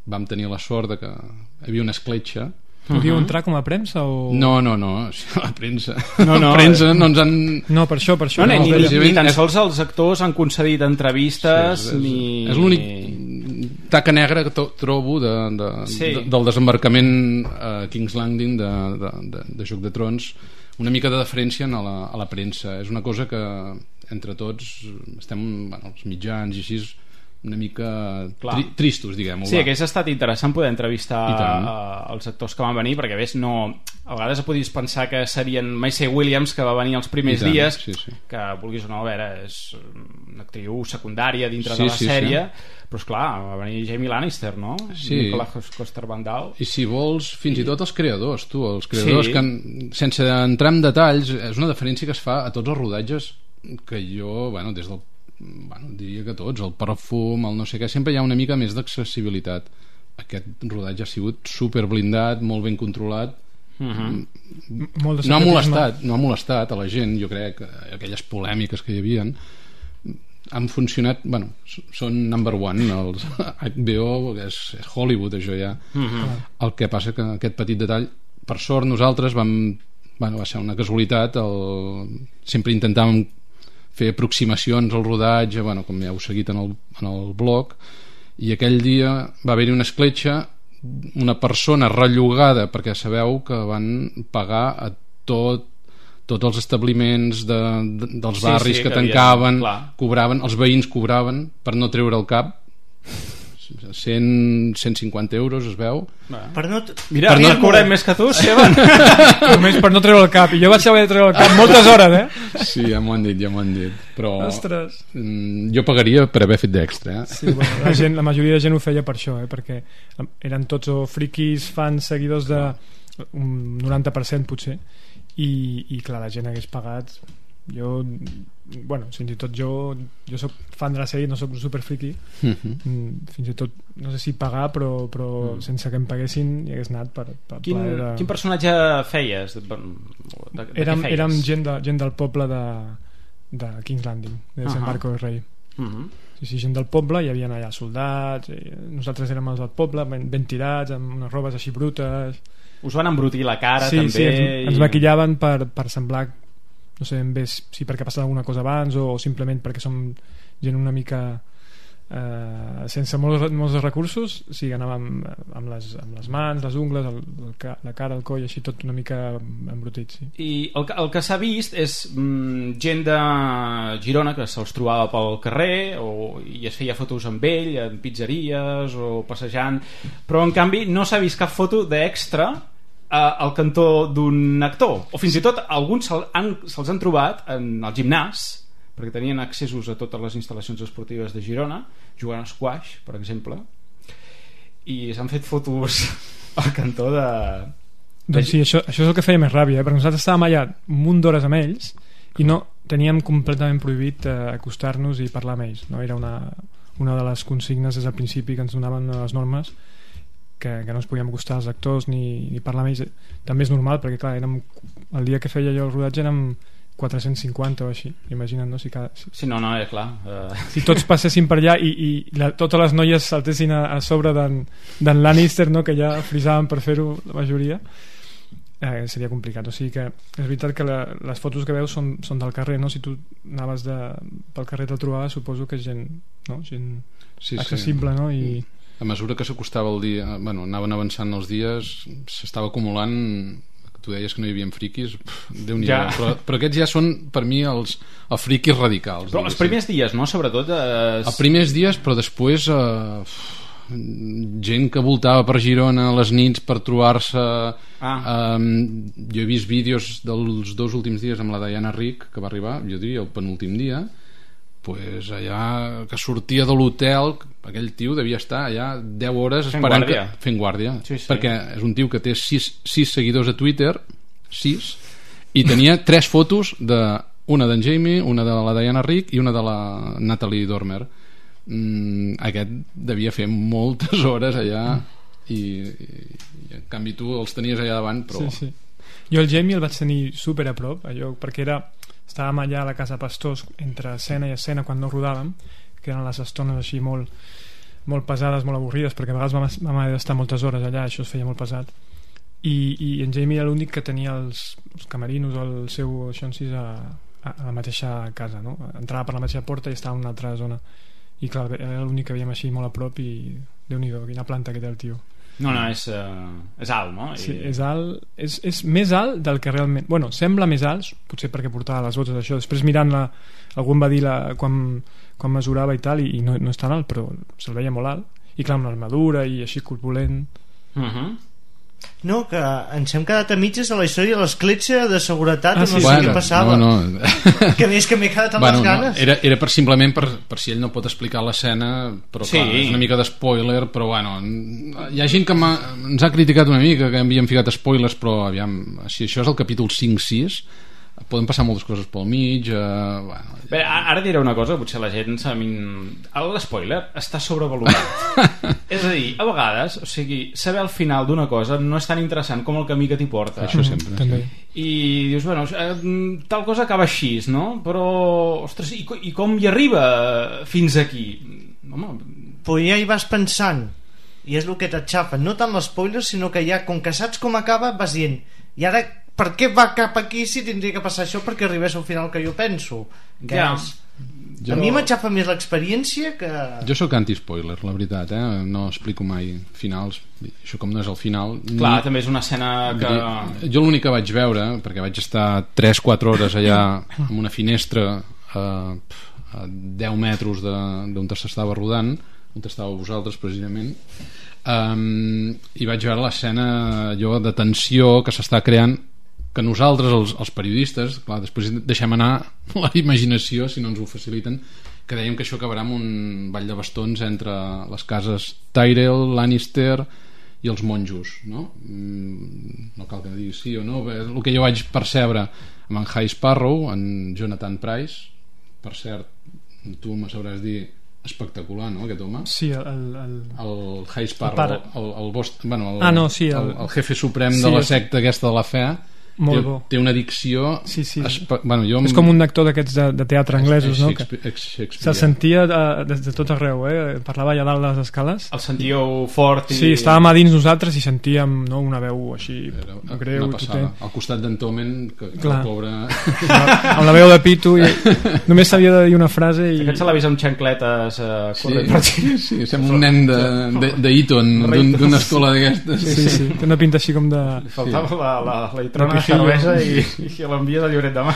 Vam tenir la sort de que hi havia una escletxa. Podíeu uh-huh. entrar com a premsa o...? No, no, no, la premsa no, no, la premsa no ens han... No, per això, per això no, no, ni, no, ni, ni tan sols els actors han concedit entrevistes sí, és, és, ni... és l'únic taca negra que to, trobo de, de, sí. de, del desembarcament a King's Landing de, de, de, de Joc de Trons, una mica de deferència a la, a la premsa. És una cosa que entre tots estem, bueno, els mitjans i així, una mica tri tristos, diguem-ho. Sí, que ha estat interessant poder entrevistar uh, els actors que van venir, perquè a més no, a vegades podies pensar que serien Maisy Williams, que va venir els primers dies, sí, sí. que vulguis o no, a veure, és una actriu secundària dintre sí, de la sí, sèrie, sí. però esclar, va venir Jamie Lannister, no? Sí. Nicolas Coster-Waldau. I si vols, fins i tot els creadors, tu, els creadors sí. que, sense entrar en detalls, és una deferència que es fa a tots els rodatges que jo, bueno, des del bueno, diria que tots, el perfum, el no sé què, sempre hi ha una mica més d'accessibilitat. Aquest rodatge ha sigut super blindat, molt ben controlat. Uh-huh. No ha molestat, no ha molestat a la gent, jo crec, aquelles polèmiques que hi havia han funcionat, bueno, són number one els H B O, és, és Hollywood això ja. Uh-huh. El que passa que aquest petit detall, per sort nosaltres vam, bueno, va ser una casualitat, el, sempre intentàvem fer aproximacions al rodatge, bueno, com ja heu seguit en el, en el blog, i aquell dia va haver-hi una escletxa, una persona rellogada, perquè sabeu que van pagar a tot tots els establiments de, de, dels barris sí, sí, que, que tancaven, havia, cobraven, els veïns cobraven per no treure el cap. cent, cent cinquanta euros es veu. Per no... Mira, per no no... cobrem més que tu, Seban. Només per no treure el cap. I jo vaig haver de treure el cap moltes hores, eh? Sí, ja m'ho han dit, ja m'ho han dit. Però Ostres. jo pagaria per haver fet d'extra, eh? Sí, bueno, la, gent, la majoria de gent ho feia per això, eh? Perquè eren tots o friquis, fans, seguidors de un noranta per cent potser, i, i clar, la gent hagués pagat. Jo, bueno, fins i tot jo jo soc fan de la sèrie, no soc super friki, mm-hmm. fins i tot no sé si pagar, però, però mm. sense que em paguessin hi hagués anat per, per quin, de... quin personatge feies? De, de, de érem, feies? érem gent, de, gent del poble de, de King's Landing, de Sant uh-huh. Marco del Rei. Uh-huh. Sí, sí, gent del poble, hi havia allà soldats, nosaltres érem els del poble, ben, ben tirats, amb unes robes així brutes. Us van embrutir la cara, sí, també? Sí, ens, ens maquillaven per, per semblar, no sé, en vez, si perquè ha passat alguna cosa abans o, o simplement perquè som gent una mica eh, sense molts, molts recursos. Sí, anàvem amb les, amb les mans, les ungles, el, el, la cara, el coll, així tot una mica embrutit, sí. I el, el que s'ha vist és mm, gent de Girona que se'ls trobava pel carrer o, i es feia fotos amb ell en pizzeries o passejant, però en canvi no s'ha vist cap foto d'extra al cantó d'un actor, o fins i tot alguns se'ls han, se han trobat en el gimnàs, perquè tenien accessos a totes les instal·lacions esportives de Girona, jugant a squash, per exemple, i s'han fet fotos al cantó de... Doncs sí, això, això és el que feia més ràbia, eh? Perquè nosaltres estàvem allà un munt d'hores amb ells i no teníem completament prohibit eh, acostar-nos i parlar amb ells, no? Era una, una de les consignes des del principi que ens donaven les normes, que, que no ens podíem acostar als actors ni, ni parlar amb ells. També és normal perquè clar, érem, el dia que feia jo el rodatge érem quatre-cents cinquanta o així, imagina't, no? Si, cada, si, sí, no, no, és clar uh... si tots passessin per allà i, i la, totes les noies saltessin a, a sobre d'en Lannister, no? Que ja frisaven per fer-ho la majoria, eh, seria complicat. O sigui que és veritat que la, les fotos que veus són, són del carrer, no? Si tu anaves de, pel carrer te'l trobaves, suposo que és gent, no? Gent sí, accessible, sí. No? I a mesura que s'acostava el dia, bueno, anaven avançant els dies, s'estava acumulant. Tu deies que no hi havia friquis, Déu-n'hi-do, ja. però, però aquests ja són per mi els, els friquis radicals. Però els primers dies, no? Sobretot eh... els primers dies, però després eh, gent que voltava per Girona a les nits per trobar-se. ah. eh, jo he vist vídeos dels dos últims dies amb la Diana Rick, que va arribar, jo diria el penúltim dia, pues allà que sortia de l'hotel, aquell tio devia estar allà deu hores fent esperant guàrdia. Que, fent guàrdia sí, sí. Perquè és un tio que té sis seguidors a Twitter, sis, i tenia tres fotos de, una d'en Jamie, una de la Diana Rick i una de la Natalie Dormer. mm, aquest devia fer moltes hores allà i, i, i en canvi tu els tenies allà davant, però... sí, sí. Jo el Jamie el vaig tenir super a prop allò, perquè era estàvem allà a la casa Pastors entre escena i escena quan no rodàvem, que eren les estones així molt, molt pesades, molt avorrides, perquè a vegades vam, vam haver d'estar moltes hores allà, això es feia molt pesat, i, i en Jamie era l'únic que tenia els, els camerinos o el seu xonsis a, a, a la mateixa casa, no? Entrava per la mateixa porta i estava en una altra zona, i clar, era l'únic que veiem així molt a prop i Déu-n'hi-do, quina planta que té el tio. No, no, és, uh, és alt, no? I... Sí, és alt, és, és més alt del que realment... Bueno, sembla més alt, potser perquè portava les botes d'això. Després mirant-la, algú em va dir la, quan, quan mesurava i tal, i, i no, no és tan alt, però se'l veia molt alt. I clar, amb l'armadura i així corpulent. Uh-huh. No, que ens hem quedat a mitges de la història de l'escletxa de seguretat, ah, sí, no sé bueno, què passava. No, no. Que és que m'he quedat amb bueno, les ganes. No, era, era per, simplement per, per si ell no pot explicar l'escena, però sí. clar, és una mica d'espoiler, però bueno, hi ha gent que ens ha criticat una mica que havíem ficat spoilers, però aviam, si això és el capítol cinc sis, poden passar moltes coses pel mig. eh, bueno. Bé, ara diré una cosa, potser la gent l'espoiler està sobrevalorat. És a dir, a vegades, o sigui, saber el final d'una cosa no és tan interessant com el camí que t'hi porta. Això sempre, mm, també. I dius, bueno, tal cosa acaba així, no? Però, ostres, i, i com hi arriba fins aquí? Home... Però ja hi vas pensant, i és el que t'atxafa, no tant l'espoiler, sinó que ja, com que saps com acaba, vas dient, i ara per què va cap aquí si tindria que passar això perquè arribés al final que jo penso, que ja. És... Jo... A mi m'aixafa més l'experiència que... Jo sóc anti-spoiler, la veritat, eh? No explico mai finals. Això com no és el final... Clar, ni... també és una escena que... Jo l'únic que vaig veure, perquè vaig estar tres quatre hores allà amb una finestra a, a deu metres d'on s'estava rodant, on estàveu vosaltres precisament, um, i vaig veure l'escena allò de tensió que s'està creant, que nosaltres, els, els periodistes, clar, després deixem anar la imaginació si no ens ho faciliten, que dèiem que això acabarà amb un ball de bastons entre les cases Tyrell, Lannister i els monjos, no? No cal que digui sí o no. El que jo vaig percebre amb en High Sparrow, en Jonathan Pryce, per cert, tu me sabràs dir, espectacular, no, aquest home? Sí, el... El, el High Sparrow, el, el, el, bost, bueno, el, ah, no, sí, el, el, el jefe suprem sí, de la secta aquesta de la fe. Molt bo. Té una dicció sí, sí. Espe... bueno, jo... és com un actor d'aquests de, de teatre anglesos, no? Se sentia de, des de tot arreu, eh? Parlava allà dalt de les escales, el sentíeu fort i... sí, estàvem a dins nosaltres i sentíem, no, una veu així greu, una passada, al costat d'en Tomen, que, que el pobre amb la veu de pito i... només sabia de dir una frase i... aquest se l'ha vist amb xancletes eh, corrent per sí, sí, sembla un nen d'Eton d'una escola d'aquestes sí, sí, sí, té una pinta així com de... li faltava la, la, la litrona cervesa i, i l'envia de Lloret de Mar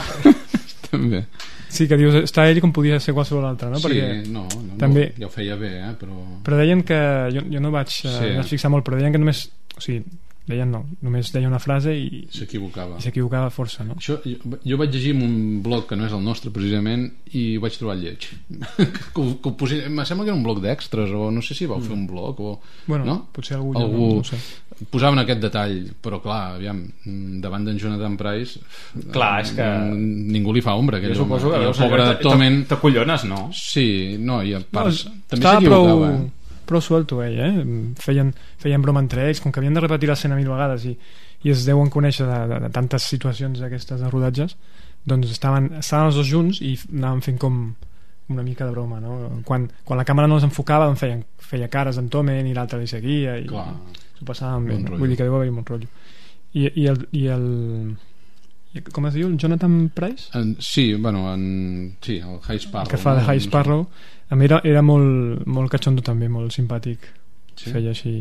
també sí, que dius, està ell com podia ser qualsevol altre, no? Sí, perquè no, no, també... ja ho feia bé, eh? però... però deien que, jo, jo no vaig, sí. uh, vaig fixar molt, però deien que només, o sigui, deien no, només deia una frase i s'equivocava i s'equivocava força, no? Això, jo, jo vaig llegir en un blog que no és el nostre precisament i ho vaig trobar lleig que, que ho posi... em sembla que era un blog d'extras o no sé si vau mm. fer un blog o... bueno, no? potser algú, algú... no, no sé. Posaven aquest detall, però clar, aviam, davant d'en Jonathan Pryce clar, és que ningú li fa ombra aquell jo suposo home. Que el pobre Tomen t'acollones, no? Sí, no, i a part no, també s'equivocava prou, prou suelto ell, eh? feien, feien broma entre ells, com que havien de repetir l'escena mil vegades i, i es deuen conèixer de, de, de tantes situacions aquestes de rodatges, doncs estaven, estaven els dos junts i anaven fent com una mica de broma, no? Quan, quan la càmera no els enfocava doncs feien, feia cares en Tomen i l'altre li seguia i clar, s'ho passaven bé, vull dir que deu haver-hi un rotllo i, i el, i el i, com es diu, el Jonathan Pryce? En, sí, bueno, en, sí, el High Sparrow el que fa de High Sparrow a mi era, era molt, molt catxondo també, molt simpàtic sí? Feia així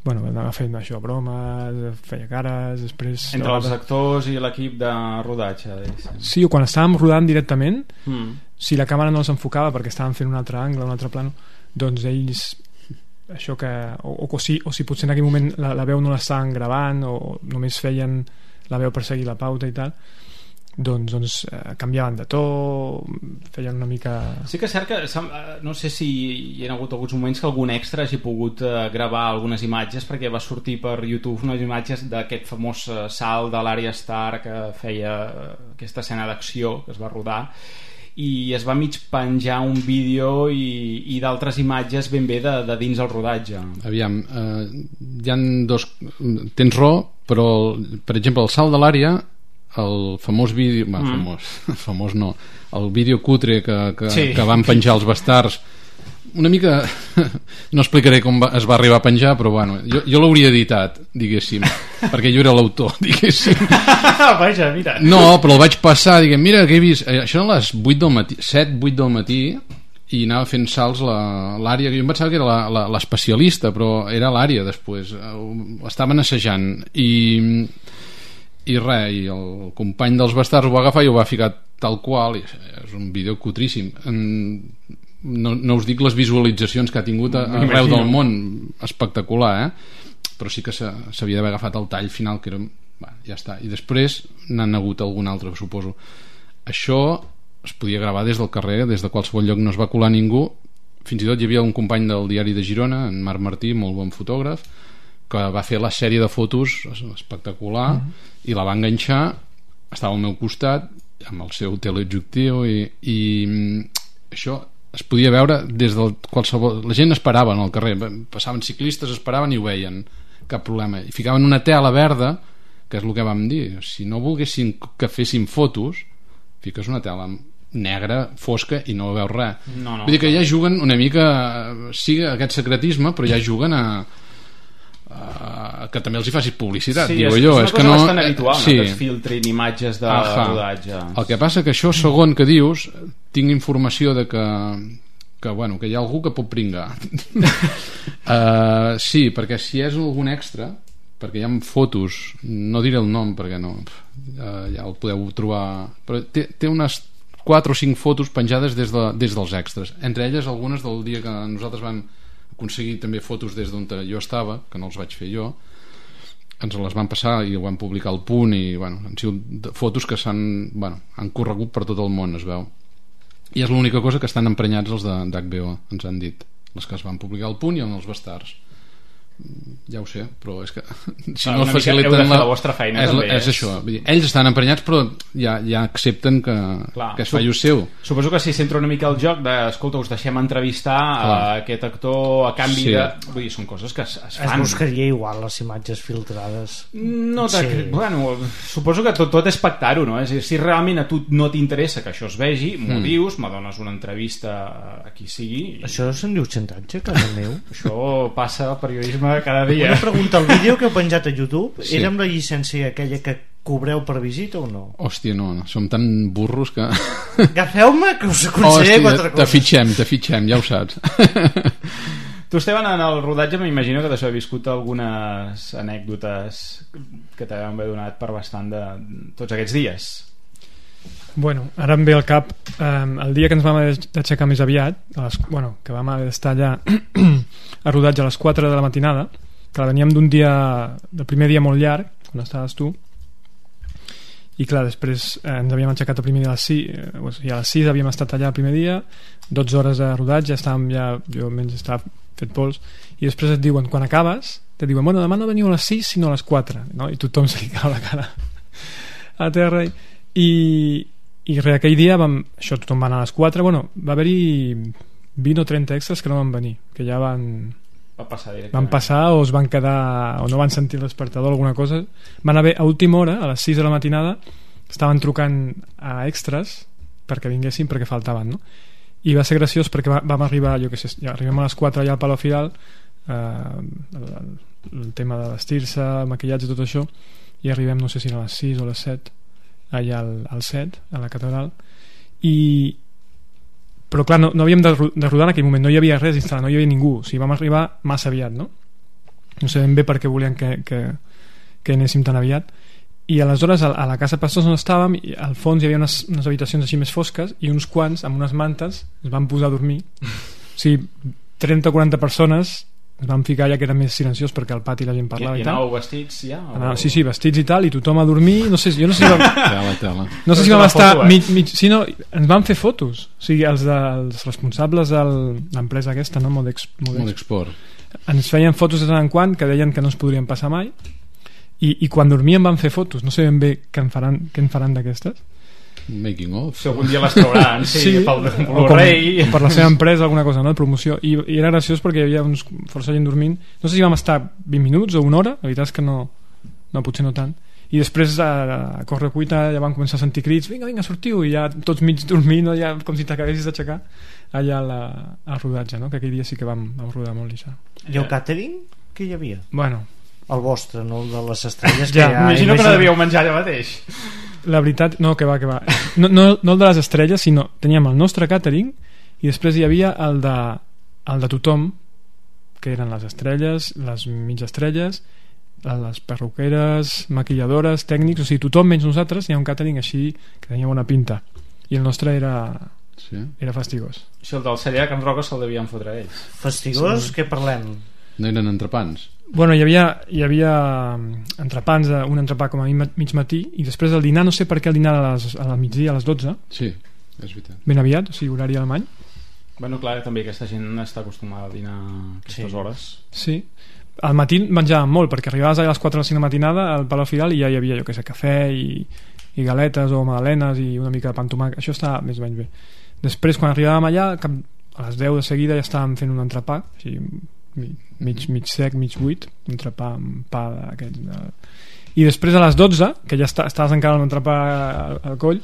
bueno, anava fent això, bromes feia cares, després entre els actors i l'equip de rodatge sí, o quan estàvem rodant directament mm. si la càmera no els enfocava perquè estàvem fent un altre angle, un altre plano doncs ells això que, o, o, o, si, o si potser en aquell moment la, la veu no l'estaven gravant o només feien la veu per seguir la pauta i tal doncs, doncs eh, canviaven de to feien una mica... Sí que és cert que no sé si hi ha hagut alguns moments que algun extra hagi pogut eh, gravar algunes imatges perquè va sortir per YouTube unes imatges d'aquest famós eh, salt de l'Arya Stark que feia eh, aquesta escena d'acció que es va rodar i es va mig penjar un vídeo i, i d'altres imatges ben bé de, de dins el rodatge. Aviam, eh, hi han dos... Tens raó, però per exemple el salt de l'àrea, el famós vídeo... Mm. famós, famós no, el vídeo cutre que, que, sí. que van penjar els bastards una mica no explicaré com va, es va arribar a penjar però bueno, jo, jo l'hauria editat diguéssim, perquè jo era l'autor diguéssim vaja, mira no, però el vaig passar, diguem, mira que he vist això a les vuit del matí, set, vuit del matí i anava fent salts l'àrea, jo em pensava que era l'especialista però era l'àrea després estaven assajant i i res, i el company dels bastards ho va agafar i ho va ficar tal qual i és un vídeo cutríssim en No, no us dic les visualitzacions que ha tingut arreu del món espectacular eh? Però sí que s'havia d'haver agafat el tall final que era, bah, ja està, i després n'han hagut algun altre suposo. Això es podia gravar des del carrer, des de qualsevol lloc, no es va colar ningú, fins i tot hi havia un company del diari de Girona, en Marc Martí, molt bon fotògraf, que va fer la sèrie de fotos espectacular mm-hmm. i la va enganxar, estava al meu costat amb el seu teleobjectiu i, i això es podia veure des del qualsevol... La gent esperava en el carrer, passaven ciclistes, esperaven i ho veien, cap problema. I ficaven una tela verda, que és el que vam dir, si no volguessin que féssim fotos, fiques una tela negra, fosca i no veus res. No, no, Vull dir que ja juguen una mica, sí, aquest secretisme, però ja juguen a... Uh, que també els hi facis publicitat, sí, diu és, allò, és una cosa que no... bastant habitual, sí. no, que es filtrin imatges de Aha. rodatge. El que passa que això segon que dius tinc informació de que que, bueno, que hi ha algú que pot pringar uh, sí, perquè si és algun extra perquè hi ha fotos, no diré el nom perquè no uh, ja el podeu trobar, però té, té unes quatre o cinc fotos penjades des, de, des dels extras, entre elles algunes del dia que nosaltres vam aconseguir també fotos des d'on jo estava, que no els vaig fer jo, ens les van passar i ho van publicar al Punt, i bueno, han sigut fotos que s'han, bueno, han corregut per tot el món, es veu, i és l'única cosa que estan emprenyats els d'H B O, ens han dit, les que es van publicar al Punt i en els Bastards. Ja ho sé, però és que si no, no faciliten heu de fer la vostra feina és, també, és, és això, vull dir, ells estan emprenyats però ja, ja accepten que, clar, que es faci ús seu. Suposo que si s'entra una mica al joc de, escolta, us deixem entrevistar clar. a aquest actor a canvi sí. de... Vull dir, són coses que es, es fan. Es buscaria igual les imatges filtrades. No sí. Bueno, suposo que tot, tot és pactar-ho, no? És a dir, si realment a tu no t'interessa que això es vegi, m'ho mm. dius, me dones una entrevista a qui sigui i... Això se'n diu xantatge, casa meu? Això passa al periodisme cada dia. Una pregunta, el vídeo que heu penjat a YouTube sí. era amb la llicència aquella que cobreu per visita o no? Hòstia, no, no. Som tan burros que... Agafeu-me que us aconsellaré quatre coses. Te fitxem, te fitxem, ja ho saps. Tu, Esteban, en el rodatge m'imagino que t'has viscut algunes anècdotes que t'han donat per bastant de tots aquests dies. Bueno, ara em ve al cap um, el dia que ens vam haver d'aixecar més aviat, a les, bueno, que vam haver d'estar allà a rodatge a les quatre de la matinada, que veníem d'un dia, del primer dia molt llarg, quan estaves tu, i clar, després eh, ens havíem aixecat el primer dia a les sis, eh, o sigui, a les sis havíem estat allà el primer dia, dotze hores de rodatge, estàvem ja, jo almenys estava fet pols, i després et diuen, quan acabes, te diuen, bueno, demà no veniu a les sis sinó a les quatre, no? I tothom se li cau la cara a terra, i i res, aquell dia vam, això tothom va anar a les quatre, bueno, va haver-hi vint o trenta extras que no van venir, que ja van va passar van passar o es van quedar o no van sentir el despertador o alguna cosa, van haver a última hora, a les sis de la matinada estaven trucant a extras perquè vinguessin perquè faltaven, no? I va ser graciós perquè va, vam arribar, jo què sé, ja arribem a les quatre allà al Palau Fidal, eh, el, el tema de vestir-se, maquillatge, tot això, i arribem no sé si a les sis o a les set allà al, al set, a la catedral, i però clar, no, no havíem de, de rodar en aquell moment, no hi havia res instal·lat, no hi havia ningú, o sigui, vam arribar massa aviat, no? No sabem bé per què volien que, que, que anéssim tan aviat, i aleshores a, a la casa Pastors on estàvem, al fons hi havia unes, unes habitacions així més fosques i uns quants amb unes mantes es van posar a dormir, o sigui, trenta o quaranta persones es van ficar ja que era més silenciós perquè al pati la gent parlava i, i, i tal. anàveu vestits ja? O... Anava, sí, sí, vestits i tal, i tothom a dormir, no sé, jo no sé si vam, tela, tela. No sé si vam estar foto, eh? mig, mig, sí, no, ens van fer fotos, o sigui, els, de, els responsables de l'empresa aquesta, no? Modex, Modex, Modexport, ens feien fotos de tant en quant que deien que no es podrien passar mai, i, i quan dormíem van fer fotos, no sé ben bé què en faran, què en faran d'aquestes. Making of, si algun dia les trauran sí, sí, pel Blu-ray per la seva empresa, alguna cosa, no? De promoció, I, i era graciós perquè hi havia uns força gent dormint, no sé si vam estar vint minuts o una hora, la veritat és que no, no potser no tant, i després a, a corre cuita ja van començar a sentir crits, vinga, vinga, sortiu, i ja tots mig dormint, no? Ja, com si t'acabessis d'aixecar allà la, al rodatge, no? Que aquell dia sí que vam, vam rodar molt això. I el catering? Què hi havia? Bueno, el vostre, no el de les estrelles ja, que ja, imagino que no devíeu menjar allà mateix. La veritat, no, que va, que va no, no, no el de les estrelles, sinó teníem el nostre catering i després hi havia el de, el de tothom, que eren les estrelles, les mig estrelles, les perruqueres, maquilladores, tècnics, o sigui, tothom menys nosaltres, hi ha un catering així que tenia bona pinta, i el nostre era sí. era fastigós. Si el del celler de Can Roca se'l devien fotre ells. Fastigós? Sí. Què parlem? No eren entrepans? Bueno, hi havia, hi havia entrepans, un entrepà com a mig matí, i després el dinar, no sé per què el dinar a, les, a la migdia, a les dotze. Sí, és veritat. Ben aviat, o sigui, horari alemany. Bueno, clar, també aquesta gent està acostumada a dinar a aquestes sí. hores. Sí. Al matí menjàvem molt, perquè arribaves a les quatre o les cinc de la matinada al Palau Fidal i ja hi havia, jo que sé, cafè i, i galetes o magdalenes i una mica de pa amb tomàquet. Això està més o menys bé. Després, quan arribàvem allà, a les deu de seguida ja estàvem fent un entrepà, així, mig, mig sec, mig buit, un entrepà amb pa d'aquests de... i després a les dotze, que ja està, estaves encara amb l'entrepà al, al coll,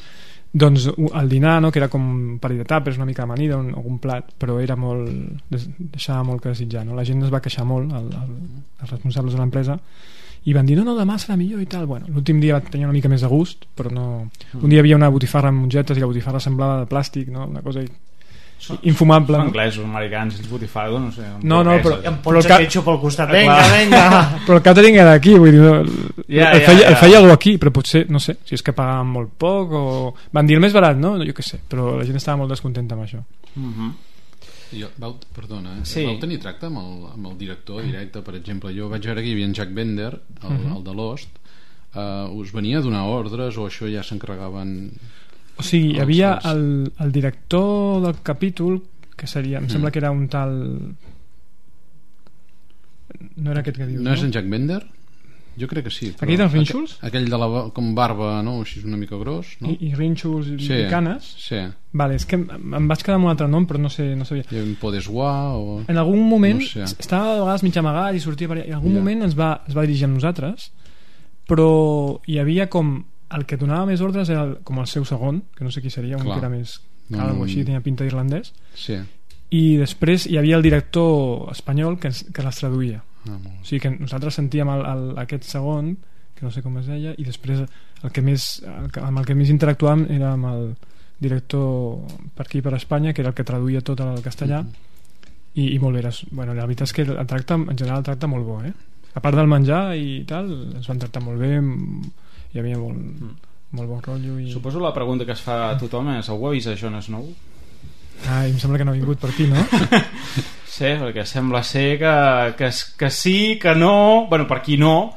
doncs el dinar, no? Que era com un parell de tàpers, una mica amanida, un, algun plat, però era molt, deixava molt que desitjar, no? La gent es va queixar molt, el, el, els responsables de l'empresa, i van dir, no, no, demà serà millor i tal. Bueno, l'últim dia tenia una mica més de gust, però no... Un dia hi havia una botifarra amb mongetes i la botifarra semblava de plàstic, no? Una cosa... infumable. Són anglesos, americans, Spotify, no sé. No, no, però... Em pots a ketchup pel costat, vinga, vinga. Però el catering era aquí, vull dir, no, ja, el, ja, feia, ja. el feia algú aquí, però potser, no sé, si és que pagaven molt poc o... Van dir el més barat, no? Jo què sé, però la gent estava molt descontenta amb això. Mhm. Jo, vau, perdona, eh? Sí. Vau tenir tracte amb el, amb el director directe, per exemple? Jo vaig veure que hi havia en Jack Bender, el, Mhm. el de Lost. Uh, us venia a donar ordres o això ja s'encarregaven? O sigui, hi els- havia els- el, el director del capítol, que seria, em Mm. sembla que era un tal... No era aquest que dius, No no? és en Jack Bender? Jo crec que sí. però Aquell dels rínxols? aqu- Aquell de la ba- com barba, no? Així una mica gros, no? I, i rínxols i, Sí, i canes. sí. Vale, és que em, em vaig quedar amb un altre nom, però no sé, no sabia. Hi havia un Podeswa o... En algun moment No sé. estava a vegades mig amagat i sortia per allà. En algun Ja. moment ens va, es va dirigir amb nosaltres, però hi havia com el que donava més ordres era el, com el seu segon, que no sé qui seria, un Clar. que era més No, calvo, no, així, tenia pinta d'irlandès, Sí. i després hi havia el director espanyol que, ens, que les traduïa. Ah, molt. O sigui que nosaltres sentíem el, el, aquest segon, que no sé com es deia, i després el que més, el que, amb el que més interactuàvem era amb el director per aquí per Espanya, que era el que traduïa tot al castellà. Mm-hmm. i, i molt bé, era, bueno, la veritat és que el tracte, en general el tracte molt bo, eh? A part del menjar i tal, ens van tractar molt bé, hi havia molt, mm. molt bon rotllo i... Suposo la pregunta que es fa a tothom és: algú ha vist a Jon Snow? Ai, em sembla que no ha vingut per aquí, no? Sí, perquè sembla ser que, que, que sí, que no, bueno, per aquí no,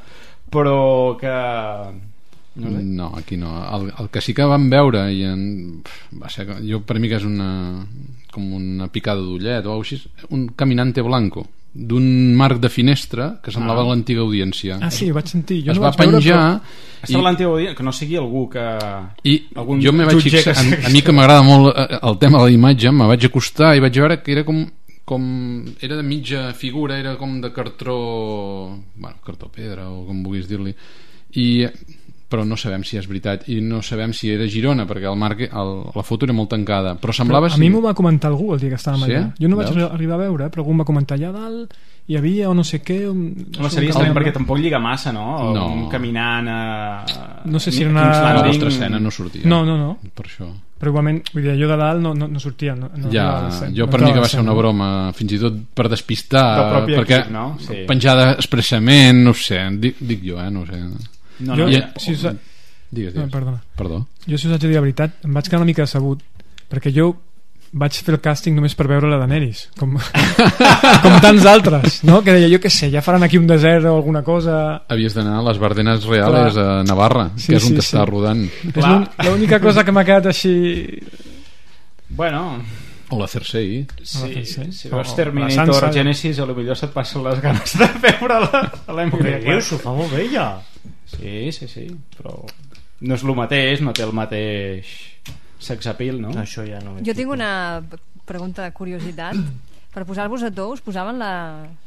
però que... No, sé. No, aquí no. El, el que sí que vam veure i en, va ser, jo per mi que és una com una picada d'ullet o així, un caminante blanco d'un marc de finestra que semblava Ah. l'antiga audiència. Ah, sí, ho vaig sentir. Jo es no va vaig veure, penjar però... Estava l'antiga audiència, que no sigui algú que... i algun jo me vaig jutge fixar, que a, a mi que m'agrada molt eh, el tema de la imatge, me vaig acostar i vaig veure que era com com era de mitja figura, era com de cartró, bueno, cartró pedra o com vulguis dir-li, i però no sabem si és veritat i no sabem si era Girona perquè el marc, el, la foto era molt tancada, però semblava Però a si... mi m'ho va comentar algú el dia que estàvem Sí? allà. Jo no vaig Veus? arribar a veure, però algú em va comentar allà dalt hi havia o no sé què un... Home, seria estrany perquè tampoc lliga massa, no? No. Un caminant a... No sé si era King's una... la Landing. vostra escena no sortia No, no, no. per això. Però igualment, vull dir, jo de dalt no, no, no sortia. No, no Ja, arribava a ser- jo no per mi que acabava va ser sent. una broma, fins i tot per despistar, Del propi perquè equip, no? Sí. penjada expressament, no ho sé, dic, dic jo, eh, no ho sé. No, Jo, no, I- ja. si us... Digues, No, digues. perdona. Perdó. Jo, si us haig de dir la veritat, em vaig quedar una mica decebut, perquè jo vaig fer el càsting només per veure la Daenerys, com, com tants altres, no? Que deia, jo què sé, ja faran aquí un desert o alguna cosa... Havies d'anar a les Bardenes Reales Clar. a Navarra, Sí, que és on sí, t'està sí. rodant. És l'un- l'única cosa que m'ha quedat així... Bueno... O la Cersei. Sí, Sí, si o- veus o la Terminator Sansa. Genesis, a lo millor se't passen les ganes de veure-la a l'Emily Què dius? S'ho fa molt bé, ja. Sí, sí, sí, però no és el mateix, no té el mateix sex appeal, no? Això ja no... Jo tinc una pregunta de curiositat. Per posar-vos a to, us posaven la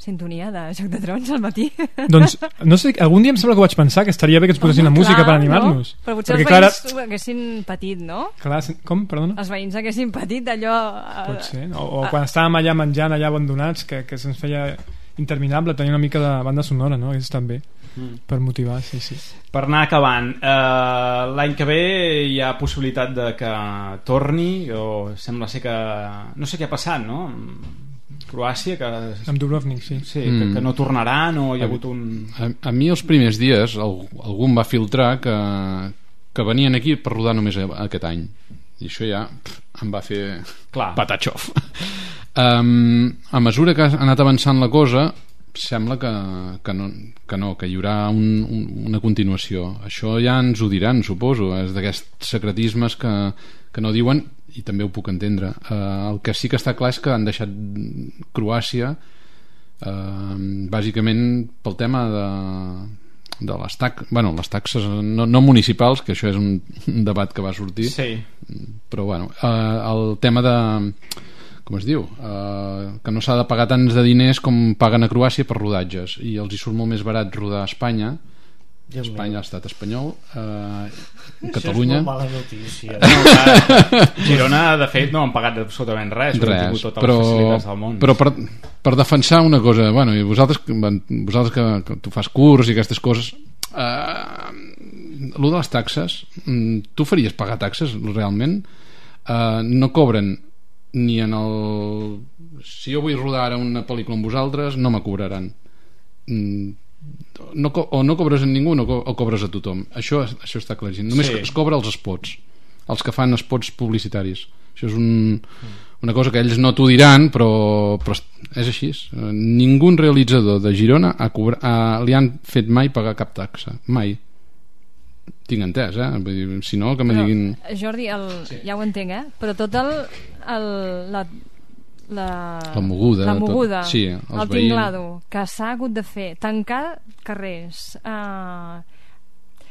sintonia de Joc de Trons al matí? Doncs, no sé, algun dia em sembla que ho vaig pensar, que estaria bé que ens posessin la Home, música clar, per animar-nos. No? Però potser Perquè, els clar, veïns ho haguessin patit, no? Clar, com? Perdona? Els veïns haguessin patit allò... eh, Pot ser, no? O, o quan estàvem allà menjant, allà abandonats, que, que se'ns feia interminable tenir una mica de banda sonora, no? Hagués estat bé, Mm. per motivar, sí, sí. Per anar acabant, eh, l'any que ve hi ha possibilitat de que torni, o sembla ser que... No sé què ha passat, no? Croàcia, que... Amb Dubrovnik, sí. Sí, que, Mm. que no tornaran, o hi ha hagut un... A, a mi els primers dies al, algú em va filtrar que, que venien aquí per rodar només a- aquest any, i això ja pff, em va fer Clar. patatxof. um, a mesura que ha anat avançant la cosa sembla que, que, no, que no, que hi haurà un, un, una continuació. Això ja ens ho diran, suposo, és d'aquests secretismes que, que no diuen, i també ho puc entendre. Uh, el que sí que està clar és que han deixat Croàcia uh, bàsicament pel tema de, de les taxes, bueno, les taxes no, no municipals, que això és un, un debat que va sortir, Sí. però bueno, uh, el tema de com es diu, uh, que no s'ha de pagar tants de diners com paguen a Croàcia per rodatges, i els hi surt molt més barat rodar a Espanya, Déu Espanya, meu. l'estat espanyol, uh, Això Catalunya. és molt mala notícia. No, clar, Girona, de fet, no han pagat absolutament res, han Res, tingut totes però, les facilitats del món. però per, per defensar una cosa, bueno, i vosaltres, vosaltres que, que tu fas curs i aquestes coses, uh, lo de les taxes, mm, tu faries pagar taxes realment? Uh, no cobren ni en el... Si jo vull rodar ara una pel·lícula amb vosaltres, no me cobraran. No, o no cobres a ningú no co o cobres a tothom. Això, això està claríssim. Només sí. es cobra els spots, els que fan spots publicitaris. Això és un, una cosa que ells no t'ho diran, però, però és així. Ningú realitzador de Girona ha cobrat, ha, li han fet mai pagar cap taxa. Mai. Tinc entès, eh? Vull dir, si no, que me però, diguin... Jordi, el, sí. ja ho entenc, eh? Però tot el... el la, la, la moguda, la moguda tot, sí, el tinglado que s'ha hagut de fer, tancar carrers, eh,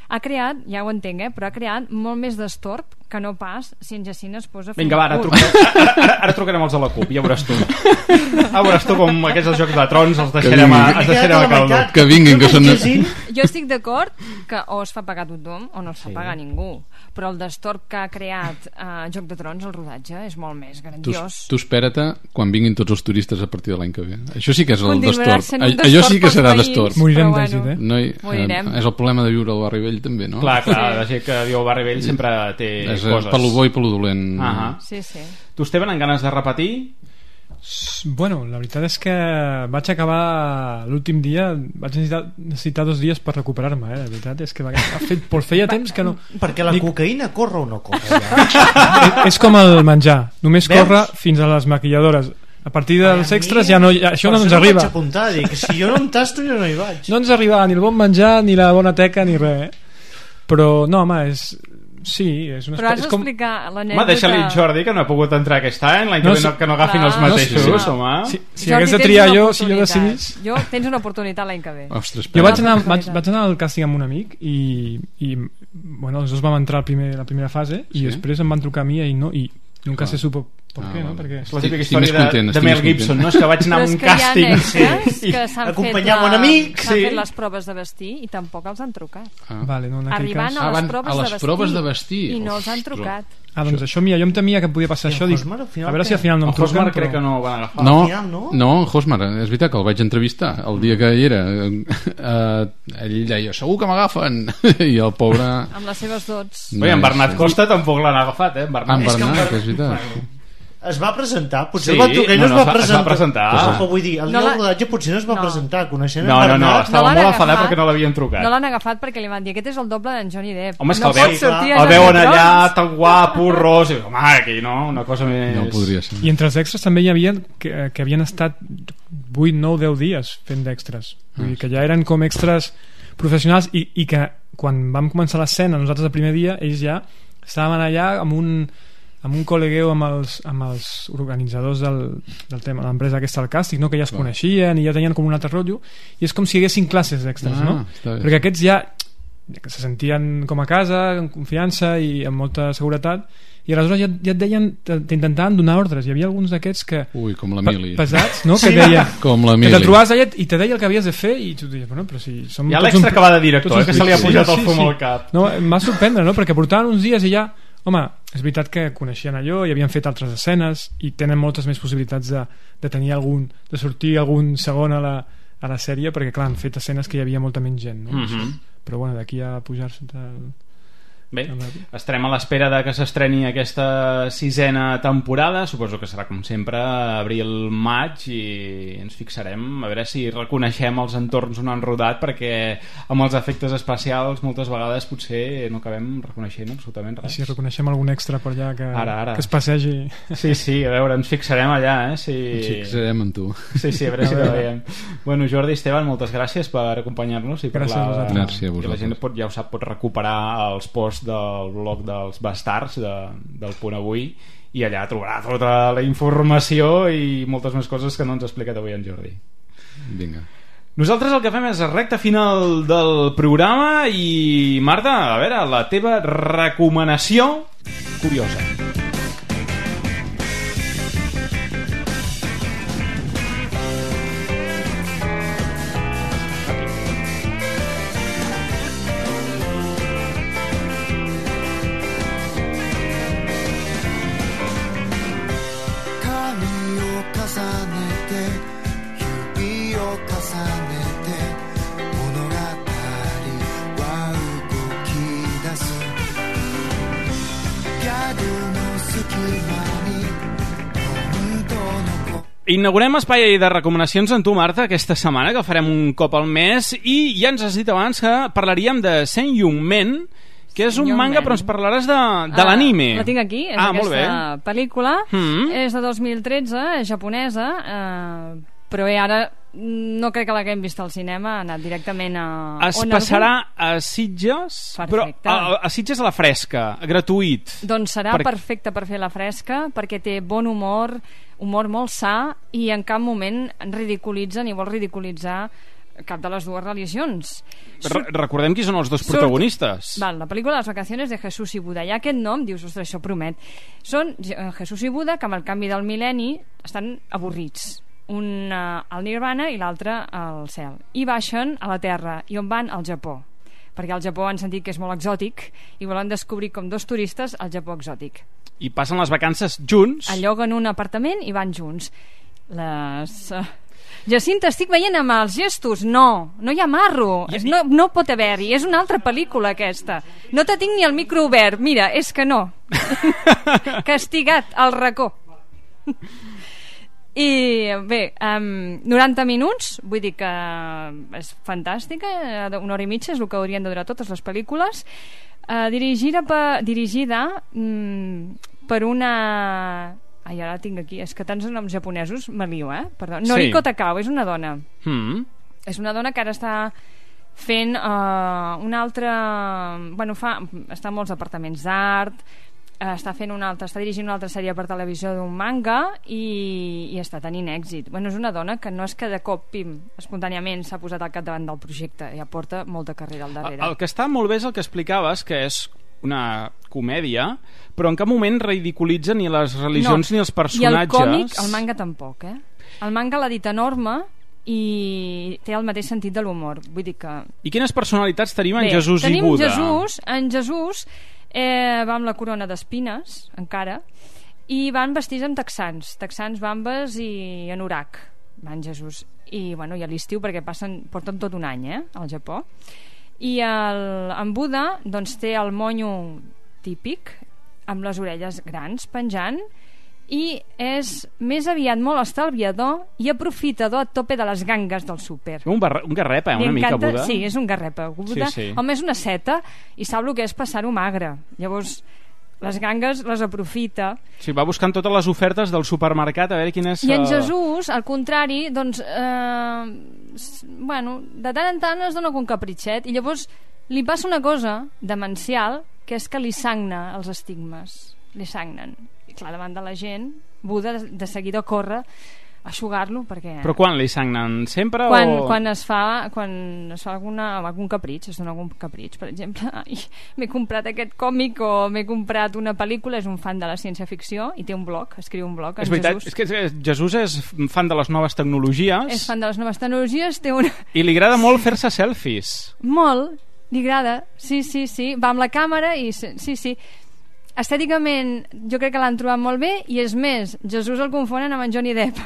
ha creat, ja ho entenc, eh? Però ha creat molt més d'estorb que no pas si en Jacint es posa a fer... Vinga, va, ara, trucarem, ara, ara, ara trucarem els de la CUP, ja veuràs tu. Ja veuràs tu com aquests els jocs de trons els deixarem a, els deixarem a caldo. Que vinguin, que són... Jo estic d'acord que o es fa pagar tothom o no es fa sí. pagar ningú, però el destorb que ha creat eh, Joc de Trons, el rodatge, és molt més grandiós. Tu, tu espera't quan vinguin tots els turistes a partir de l'any que ve. Això sí que és el destorb. Allò sí que serà destorb. Morirem d'èxit, eh? No hi, eh? És el problema de viure al Barri Vell també, no? Clar, clar, la gent que viu al Barri Vell sempre té és coses. Per lo bo i per lo dolent. Uh -huh. Sí, sí. Tu, Esteban, en ganes de repetir? Bueno, la veritat és que vaig acabar l'últim dia, vaig necessitar, necessitar dos dies per recuperar-me, eh? La veritat és que va, ha fet, feia temps que no... Perquè la Dic... cocaïna corre o no corre? Ja? és com el menjar, només Veus? corre fins a les maquilladores. A partir dels Ai, extras ja no, ja, això no ens no arriba. Vaig apuntar, dic, si jo no em tasto jo no hi vaig. No ens arriba ni el bon menjar, ni la bona teca, ni res, eh? Però no, home, és... Sí, és una però has com... d'explicar l'anècdota... Home, deixa-li Jordi, que no ha pogut entrar aquest any, l'any no, que, no, que no agafin clar. els mateixos, no, sí, sí. home. Si, si hagués de triar jo, si jo decidís... Jo, tens una oportunitat l'any que ve. Ostres, jo vaig anar, vaig, vaig anar al càsting amb un amic i, i bueno, els dos vam entrar a primer, la primera fase i sí? després em van trucar a mi i no... I nunca se supo per ah, què, no? Perquè... És la típica història de, de Mel Gibson, no? És que vaig anar a un càsting sí, que s'han acompanyar un amic s'han sí. fet les proves de vestir i tampoc els han trucat ah. vale, no, arribant cas... a les, ah, proves, a les de proves de vestir i no els han trucat. Ah, doncs això, mira, jo em temia que podia passar això, dic, a veure si al final no em truquen. Hosmar crec que no van agafar. No, final, no? no, Hosmar, és veritat que el vaig entrevistar el dia que hi era. Uh, ell deia, segur que m'agafen. I el pobre... Amb les seves dots. Bé, en Bernat Costa tampoc l'han agafat, eh? En Bernat, en Bernat, és veritat. Es va presentar, potser sí, el va trucar i no, no, no es va presentar. Es va presentar. Però vull dir, el dia no del rodatge potser no es va no. presentar, coneixent no, en Bernat. No, no, estava no molt enfadat perquè no l'havien trucat. No l'han agafat perquè li van dir, aquest és el doble d'en Johnny Depp. Home, és que no el, veu, sí, el veuen allà tan guapo, ros, i home, aquí no, una cosa més... No podria ser. I entre els extras també hi havia que, que havien estat vuit, nou, deu dies fent d'extras. Vull dir que ja eren com extras professionals i, i que quan vam començar l'escena, nosaltres el primer dia, ells ja estàvem allà amb un... amb un col·legueu amb els, amb els organitzadors del, del tema, l'empresa aquesta del càsting, no? Que ja es coneixien i ja tenien com un altre rotllo i és com si hi haguessin classes d'extras, ah, no? Perquè aquests ja que se sentien com a casa, en confiança i amb molta seguretat i aleshores ja, ja et deien, t'intentaven donar ordres, hi havia alguns d'aquests que ui, com l'Emili pesats, no? Sí, que deia, com que te trobaves allà i te deia el que havies de fer i tu dius, bueno, però si som hi ha l'extra un... que va de director, eh, que se li ha pujat sí, el fum sí, al cap no, em va sorprendre, no? Perquè portaven uns dies i ja home, és veritat que coneixien allò i havien fet altres escenes i tenen moltes més possibilitats de, de tenir algun de sortir algun segon a la, a la sèrie perquè clar, han fet escenes que hi havia molta menys gent, no? Mm-hmm. Però bueno, d'aquí a pujar-se el... Bé, estarem a l'espera de que s'estreni aquesta sisena temporada, suposo que serà com sempre abril-maig i ens fixarem a veure si reconeixem els entorns on han rodat perquè amb els efectes especials moltes vegades potser no acabem reconeixent absolutament res. I si reconeixem algun extra per allà que, ara, ara. que es passegi. Sí, sí, a veure, ens fixarem allà, eh? Si... Ens fixarem en tu. Sí, sí, a veure si ho veiem. Bueno, Jordi, Esteban, moltes gràcies per acompanyar-nos i per gràcies la... a gràcies a vosaltres. Que la gent pot, ja ho sap, pot recuperar els posts del blog dels bastards de, del Punt Avui i allà trobarà tota la informació i moltes més coses que no ens ha explicat avui en Jordi. Vinga. Nosaltres el que fem és la recta final del programa i Marta, a veure, la teva recomanació curiosa. I do know Inaugurem espai de recomanacions amb tu, Marta, aquesta setmana, que farem un cop al mes, i ja ens has dit abans que parlaríem de Saint Young Men, que és un manga, però ens parlaràs de, de ah, l'anime. La tinc aquí, és ah, aquesta pel·lícula, mm-hmm. és de dos mil tretze, és japonesa, eh, però bé, ara no crec que l'haguem vist al cinema, ha anat directament a... Es passarà a Sitges, però a, a Sitges a la fresca, gratuït. Doncs serà per... perfecte per fer la fresca, perquè té bon humor, humor molt sa, i en cap moment ridiculitza ni vol ridiculitzar cap de les dues religions. Re recordem qui són els dos protagonistes. Surt... Val, la pel·lícula Les vacaciones de Jesús i Buda. I aquest nom, dius, ostres, això promet. Són Jesús i Buda que amb el canvi del mil·lenni estan avorrits. Un uh, al Nirvana i l'altre al cel. I baixen a la Terra. I on van? Al Japó. Perquè al Japó han sentit que és molt exòtic i volen descobrir com dos turistes el Japó exòtic. I passen les vacances junts. Alloguen un apartament i van junts. Les... Uh... Jacinta, estic veient amb els gestos. No, no hi ha marro. I... No, no pot haver-hi. És una altra pel·lícula, aquesta. No te tinc ni el micro obert. Mira, és que no. Castigat al racó. I bé, um, noranta minuts, vull dir que és fantàstica, una hora i mitja és el que haurien de durar totes les pel·lícules. Uh, dirigida per, dirigida mm, per una... Ai, ara tinc aquí, és que tants noms japonesos me lio, eh? Perdó. Noriko sí. Takao, és una dona. Mm. És una dona que ara està fent uh, una altra... Bueno, fa... està en molts departaments d'art, uh, està fent una altra... està dirigint una altra sèrie per televisió d'un manga i, i està tenint èxit. Bueno, és una dona que no és que de cop, pim, espontàniament s'ha posat al capdavant del projecte, ja porta molta carrera al darrere. El, el que està molt bé és el que explicaves, que és una comèdia, però en cap moment ridiculitza ni les religions no. ni els personatges. I el còmic, el manga tampoc, eh? El manga l'ha dit enorme i té el mateix sentit de l'humor. Vull dir que... I quines personalitats tenim en Bé, Jesús tenim i Buda? Jesús, en Jesús eh, va amb la corona d'espines, encara, i van vestits amb texans, texans, bambes i anorac, van Jesús. I, bueno, i a l'estiu, perquè passen, porten tot un any, eh, al Japó. I el, en Buda doncs té el monyo típic amb les orelles grans penjant i és més aviat molt estalviador i aprofitador a tope de les gangues del súper. Un, un garrepa, eh, una mica Buda. Sí, és un garrepa. Buda, sí, sí. Home, és una seta i sap el que és passar-ho magre. Llavors les gangues les aprofita. Sí, va buscant totes les ofertes del supermercat a veure quin és... I en Jesús, al contrari, doncs, eh, bueno, de tant en tant es dona un capritxet i llavors li passa una cosa demencial, que és que li sagna els estigmes. Li sagnen. I clar, davant de la gent, Buda de seguida corre a eixugar-lo perquè... Però quan li sagnen? Sempre quan, o...? Quan es fa, quan es fa alguna, algun capritx, es dona algun capritx, per exemple, m'he comprat aquest còmic o m'he comprat una pel·lícula, és un fan de la ciència-ficció i té un blog, escriu un blog en és veritat, Jesús. És que Jesús és fan de les noves tecnologies. És fan de les noves tecnologies, té una... I li agrada molt fer-se selfies. Molt, li agrada, sí, sí, sí, va amb la càmera i sí, sí. Estèticament jo crec que l'han trobat molt bé i és més, Jesús el confonen amb en Johnny Depp.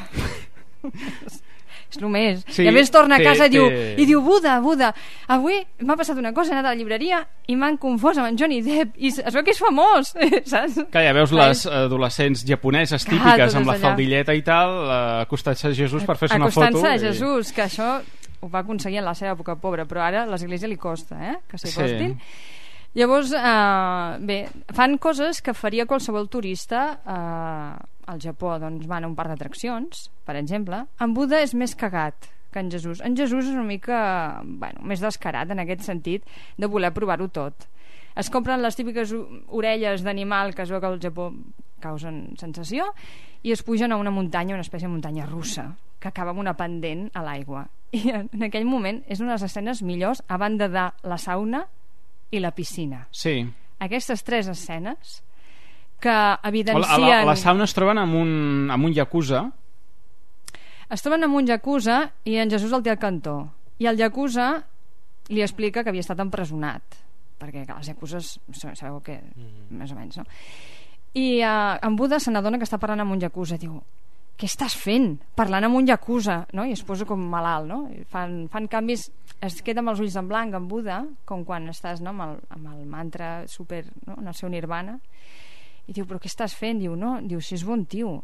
És el més. Sí, i a més torna a casa té, i, diu, té... i diu Buda, Buda, avui m'ha passat una cosa, he anat a la llibreria i m'han confós amb en Johnny Depp i es veu que és famós, saps? Que ja veus les adolescents japoneses típiques amb la allà. Faldilleta i tal, acostant-se a Jesús per fer-se una foto. Acostant-se a Jesús, i... que això ho va aconseguir en la seva època pobra, però ara a l'església li costa, eh? Que s'hi acostin. Sí. Llavors, eh, bé, fan coses que faria qualsevol turista eh, al Japó. Doncs van a un parc d'atraccions, per exemple. En Buda és més cagat que en Jesús. En Jesús és una mica, bueno, més descarat en aquest sentit de voler provar-ho tot. Es compren les típiques orelles d'animal que es veu que al Japó causen sensació i es pugen a una muntanya, una espècie de muntanya russa que acaba amb una pendent a l'aigua. I en aquell moment és una de les escenes millors a banda de la sauna i la piscina. Sí. Aquestes tres escenes que evidencien... A la, a la sauna es troben amb un, amb un yakuza. Es troben amb un yakuza i en Jesús el té al cantó. I el yakuza li explica que havia estat empresonat. Perquè clar, els yakuzes sabeu que... Mm. Més o menys, no? I uh, en Buda se n'adona que està parlant amb un yakuza. Diu, què estàs fent? Parlant amb un yakuza, no? I es posa com malalt, no? Fan, fan canvis, es queda amb els ulls en blanc en Buda, com quan estàs, no? amb, el, amb el mantra super, no? En el seu nirvana, i diu, però què estàs fent? Diu, no, diu, si és bon tio.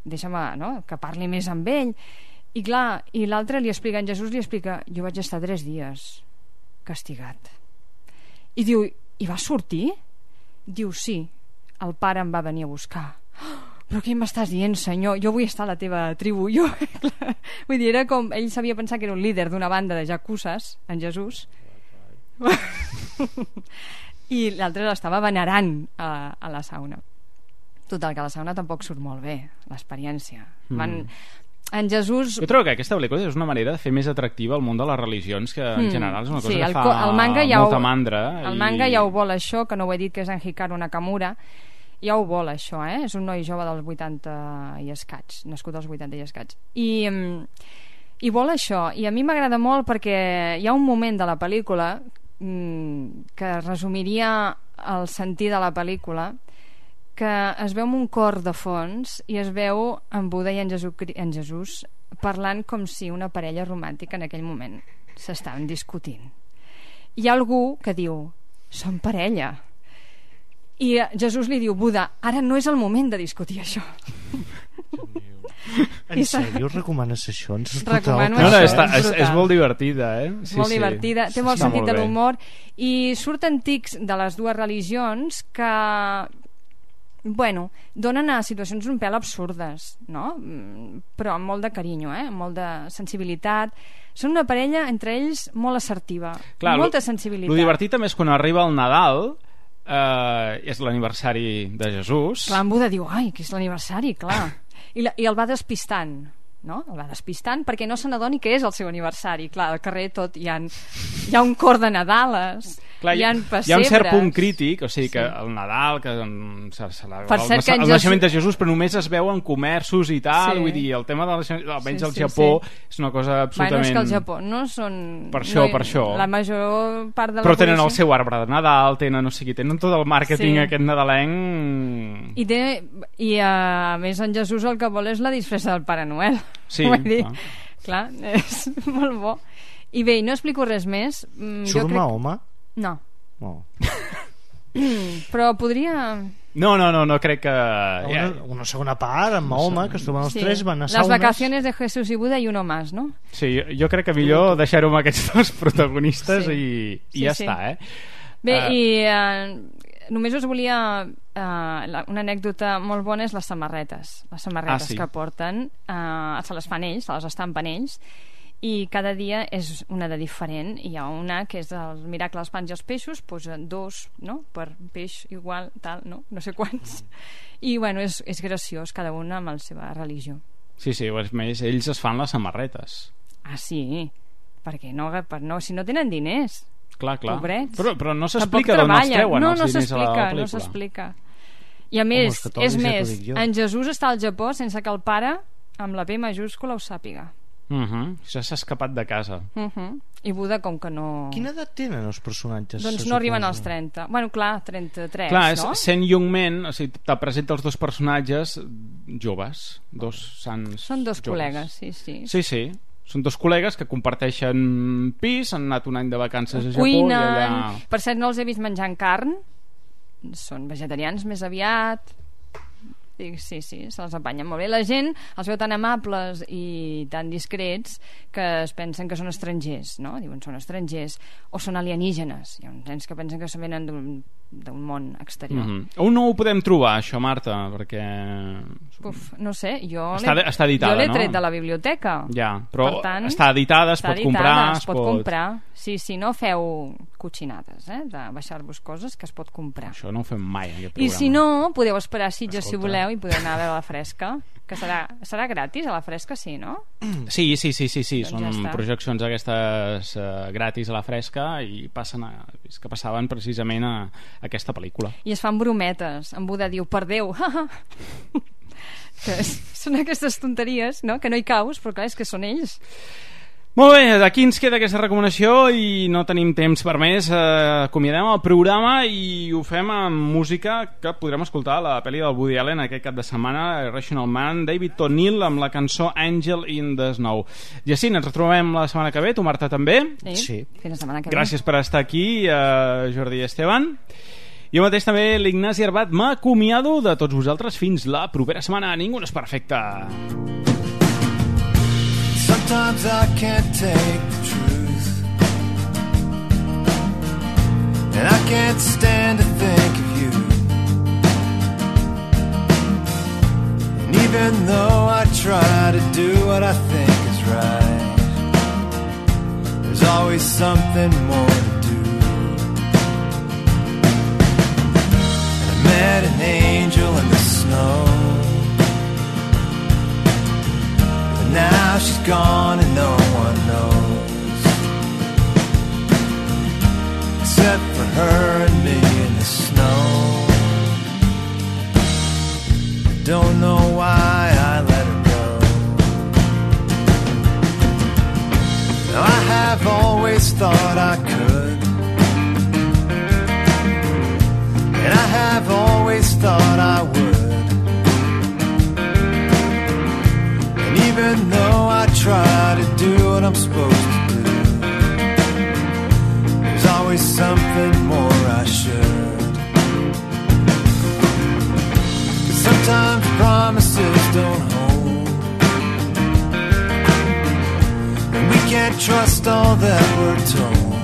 deixa'm, no?, que parli més amb ell. I clar, i l'altre li explica, en Jesús li explica, jo vaig estar tres dies castigat. I diu, i va sortir? Diu, sí, el pare em va venir a buscar. Oh, però què m'estàs dient, senyor? Jo vull estar a la teva tribu. Jo, clar, vull dir, era com, ell sabia pensar que era un líder d'una banda de jacuses, en Jesús, i l'altre l'estava venerant a, a la sauna. Total, que la sauna tampoc surt molt bé, l'experiència. Mm. Van... En Jesús... Jo trobo que aquesta pel·lícula és una manera de fer més atractiva el món de les religions, que en mm. general és una cosa sí, que el, fa el manga ja molta ho, mandra. El i... manga ja ho vol això, que no ho he dit, que és en Hikaru Nakamura, ja ho vol això, eh? És un noi jove dels vuitanta i escaig, nascut als vuitanta i escaig. I, i vol això, i a mi m'agrada molt perquè hi ha un moment de la pel·lícula mmm, que resumiria el sentit de la pel·lícula, que es veu un cor de fons i es veu en Buda i en Jesús, en Jesús parlant com si una parella romàntica en aquell moment s'estaven discutint. Hi ha algú que diu, som parella. I Jesús li diu, Buda, ara no és el moment de discutir això. En sèrio, recomanes això? Ens Recomano no, no, això. està, és, és molt divertida, eh? És sí, molt sí. divertida, té molt està sentit molt de bé. l'humor i surten tics de les dues religions que, bueno, donen a situacions un pèl absurdes, no? Però amb molt de carinyo, eh? Amb molt de sensibilitat. Són una parella, entre ells, molt assertiva. Clar, molta lo, sensibilitat. Lo divertit també és quan arriba el Nadal, eh, és l'aniversari de Jesús. Clar, en Buda diu, ai, que és l'aniversari, clar. I, la, I el va despistant, no? El va despistant perquè no se n'adoni que és el seu aniversari. Clar, al carrer tot hi ha, hi ha un cor de Nadales, clar, hi ha pessebres. Hi ha un cert punt crític, o sigui sí. que el Nadal, que um, se celebra el, cert que el Jesús... naixement de Jesús, però només es veu en comerços i tal, sí. Vull dir, el tema de naixement, almenys sí, al sí, Japó, sí. és una cosa absolutament... Bueno, és que al Japó no són... Per això, no, per això. La major part de la però tenen població... el seu arbre de Nadal, tenen, no sé qui, tenen tot el màrqueting sí. aquest nadalenc... I, té, i a més en Jesús el que vol és la disfressa del Pare Noel. Sí, vull dir, clar. clar, és molt bo. I bé, no explico res més. Surt crec... Mahoma? No. Oh. Però podria... No, no, no, no crec que... Una, una segona part amb Mahoma, que es troben els sí. tres, van a saunes... Les vacaciones de Jesús i Buda i uno más, no? Sí, jo crec que millor deixar-ho amb aquests dos protagonistes sí. i, i sí, ja sí. està, eh? Bé, uh... i uh, només us volia... Uh, una anècdota molt bona és les samarretes. Les samarretes ah, sí. que porten, uh, se les fan ells, se les estampen ells, i cada dia és una de diferent. Hi ha una que és el miracle dels pans i els peixos, posa dos, no?, per peix igual, tal, no, no sé quants, i bueno, és, és graciós, cada una amb la seva religió. Sí, sí, a més ells es fan les samarretes. Ah, sí, perquè no, per, no, si no tenen diners, clar, clar. Pobrets. Però, però no s'explica d'on els treuen no, els no diners a la pel·lícula. No s'explica. I a més, Home, és més, en Jesús està al Japó sense que el pare, amb la P majúscula, ho sàpiga. Uh -huh. Ja s'ha escapat de casa. Uh -huh. I Buda, com que no... Quina edat tenen els personatges? Doncs no arriben als trenta. Bueno, clar, trenta-tres, clar, és no? Sent Young Men, o sigui, te presenta els dos personatges joves, dos sants Són dos joves. Col·legues, sí, sí. Sí, sí. Són dos col·legues que comparteixen pis, han anat un any de vacances a Japó Cuinen... i allà... Per cert, no els he vist menjant carn. Són vegetarians més aviat. Sí, sí, se les empanyen molt bé. La gent els veu tan amables i tan discrets que es pensen que són estrangers, no? Diuen són estrangers o són alienígenes. Hi ha uns nens que pensen que se venen d'un món exterior. Mm -hmm. On no ho podem trobar, això, Marta? Perquè... Uf, no sé, jo està, està editada, jo l'he no? tret de la biblioteca. Ja, però per tant, està editada, es està pot editada, comprar... es pot, pot comprar. Sí, sí, no feu cotxinades, eh? De baixar-vos coses que es pot comprar. Això no ho fem mai, aquest I programa. si no, podeu esperar a Sitges, Escolta. si voleu, i podeu anar a veure la Fresca, que serà, serà gratis a la Fresca, sí, no? Sí, sí, sí, sí, sí. Doncs són ja projeccions aquestes uh, gratis a la Fresca i passen a, és que passaven precisament a, a aquesta pel·lícula. I es fan brometes. En Buda diu, per Déu, que és, són aquestes tonteries, no?, que no hi caus, però clar, és que són ells. Molt bé, d'aquí ens queda aquesta recomanació i no tenim temps per més. Eh, acomiadem el programa i ho fem amb música que podrem escoltar la pel·li del Woody Allen aquest cap de setmana, Irrational Man, David O'Neill amb la cançó Angel in the Snow. Jacint, ens retrobem la setmana que ve, tu, Marta, també? Sí, sí. Fins la setmana que ve. Gràcies per estar aquí, eh, Jordi i Esteban. Jo mateix també, l'Ignasi Arbat, m'acomiado de tots vosaltres fins la propera setmana. Ningú no és perfecte. Sometimes I can't take the truth, and I can't stand to think of you. And even though I try to do what I think is right, there's always something more to do. And I met an angel in the snow, but now she's gone and no one knows, except for her and me in the snow. I don't know why I let her go. Now I have always thought I could, and I have always thought I would. And even though I try to do what I'm supposed to do, there's always something more I should. 'Cause sometimes promises don't hold, and we can't trust all that we're told.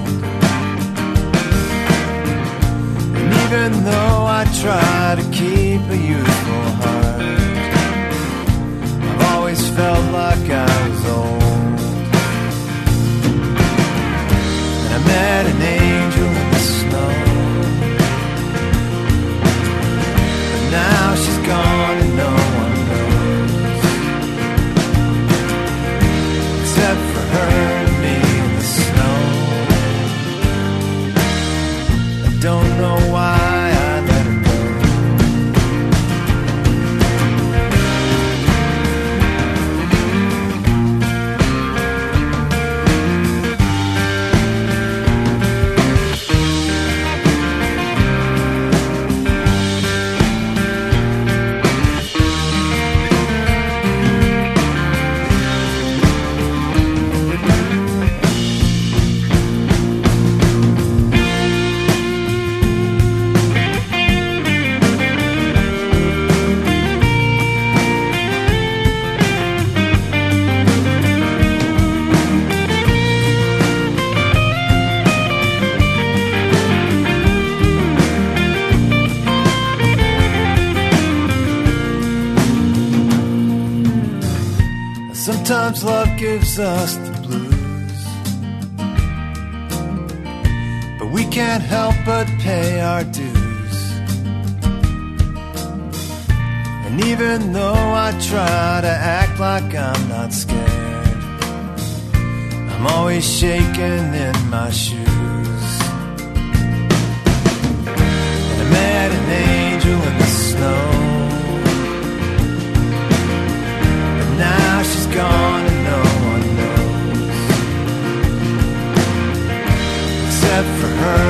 And even though I try to keep a youthful heart, I've always felt like I was old. And I met an angel in the snow, but now she's gone and no one knows, except for her and me in the snow. I don't know why I let her go. Sometimes love gives us the blues, but we can't help but pay our dues. And even though I try to act like I'm not scared, I'm always shaking in my shoes. And I met an angel in the snow, now she's gone and no one knows, except for her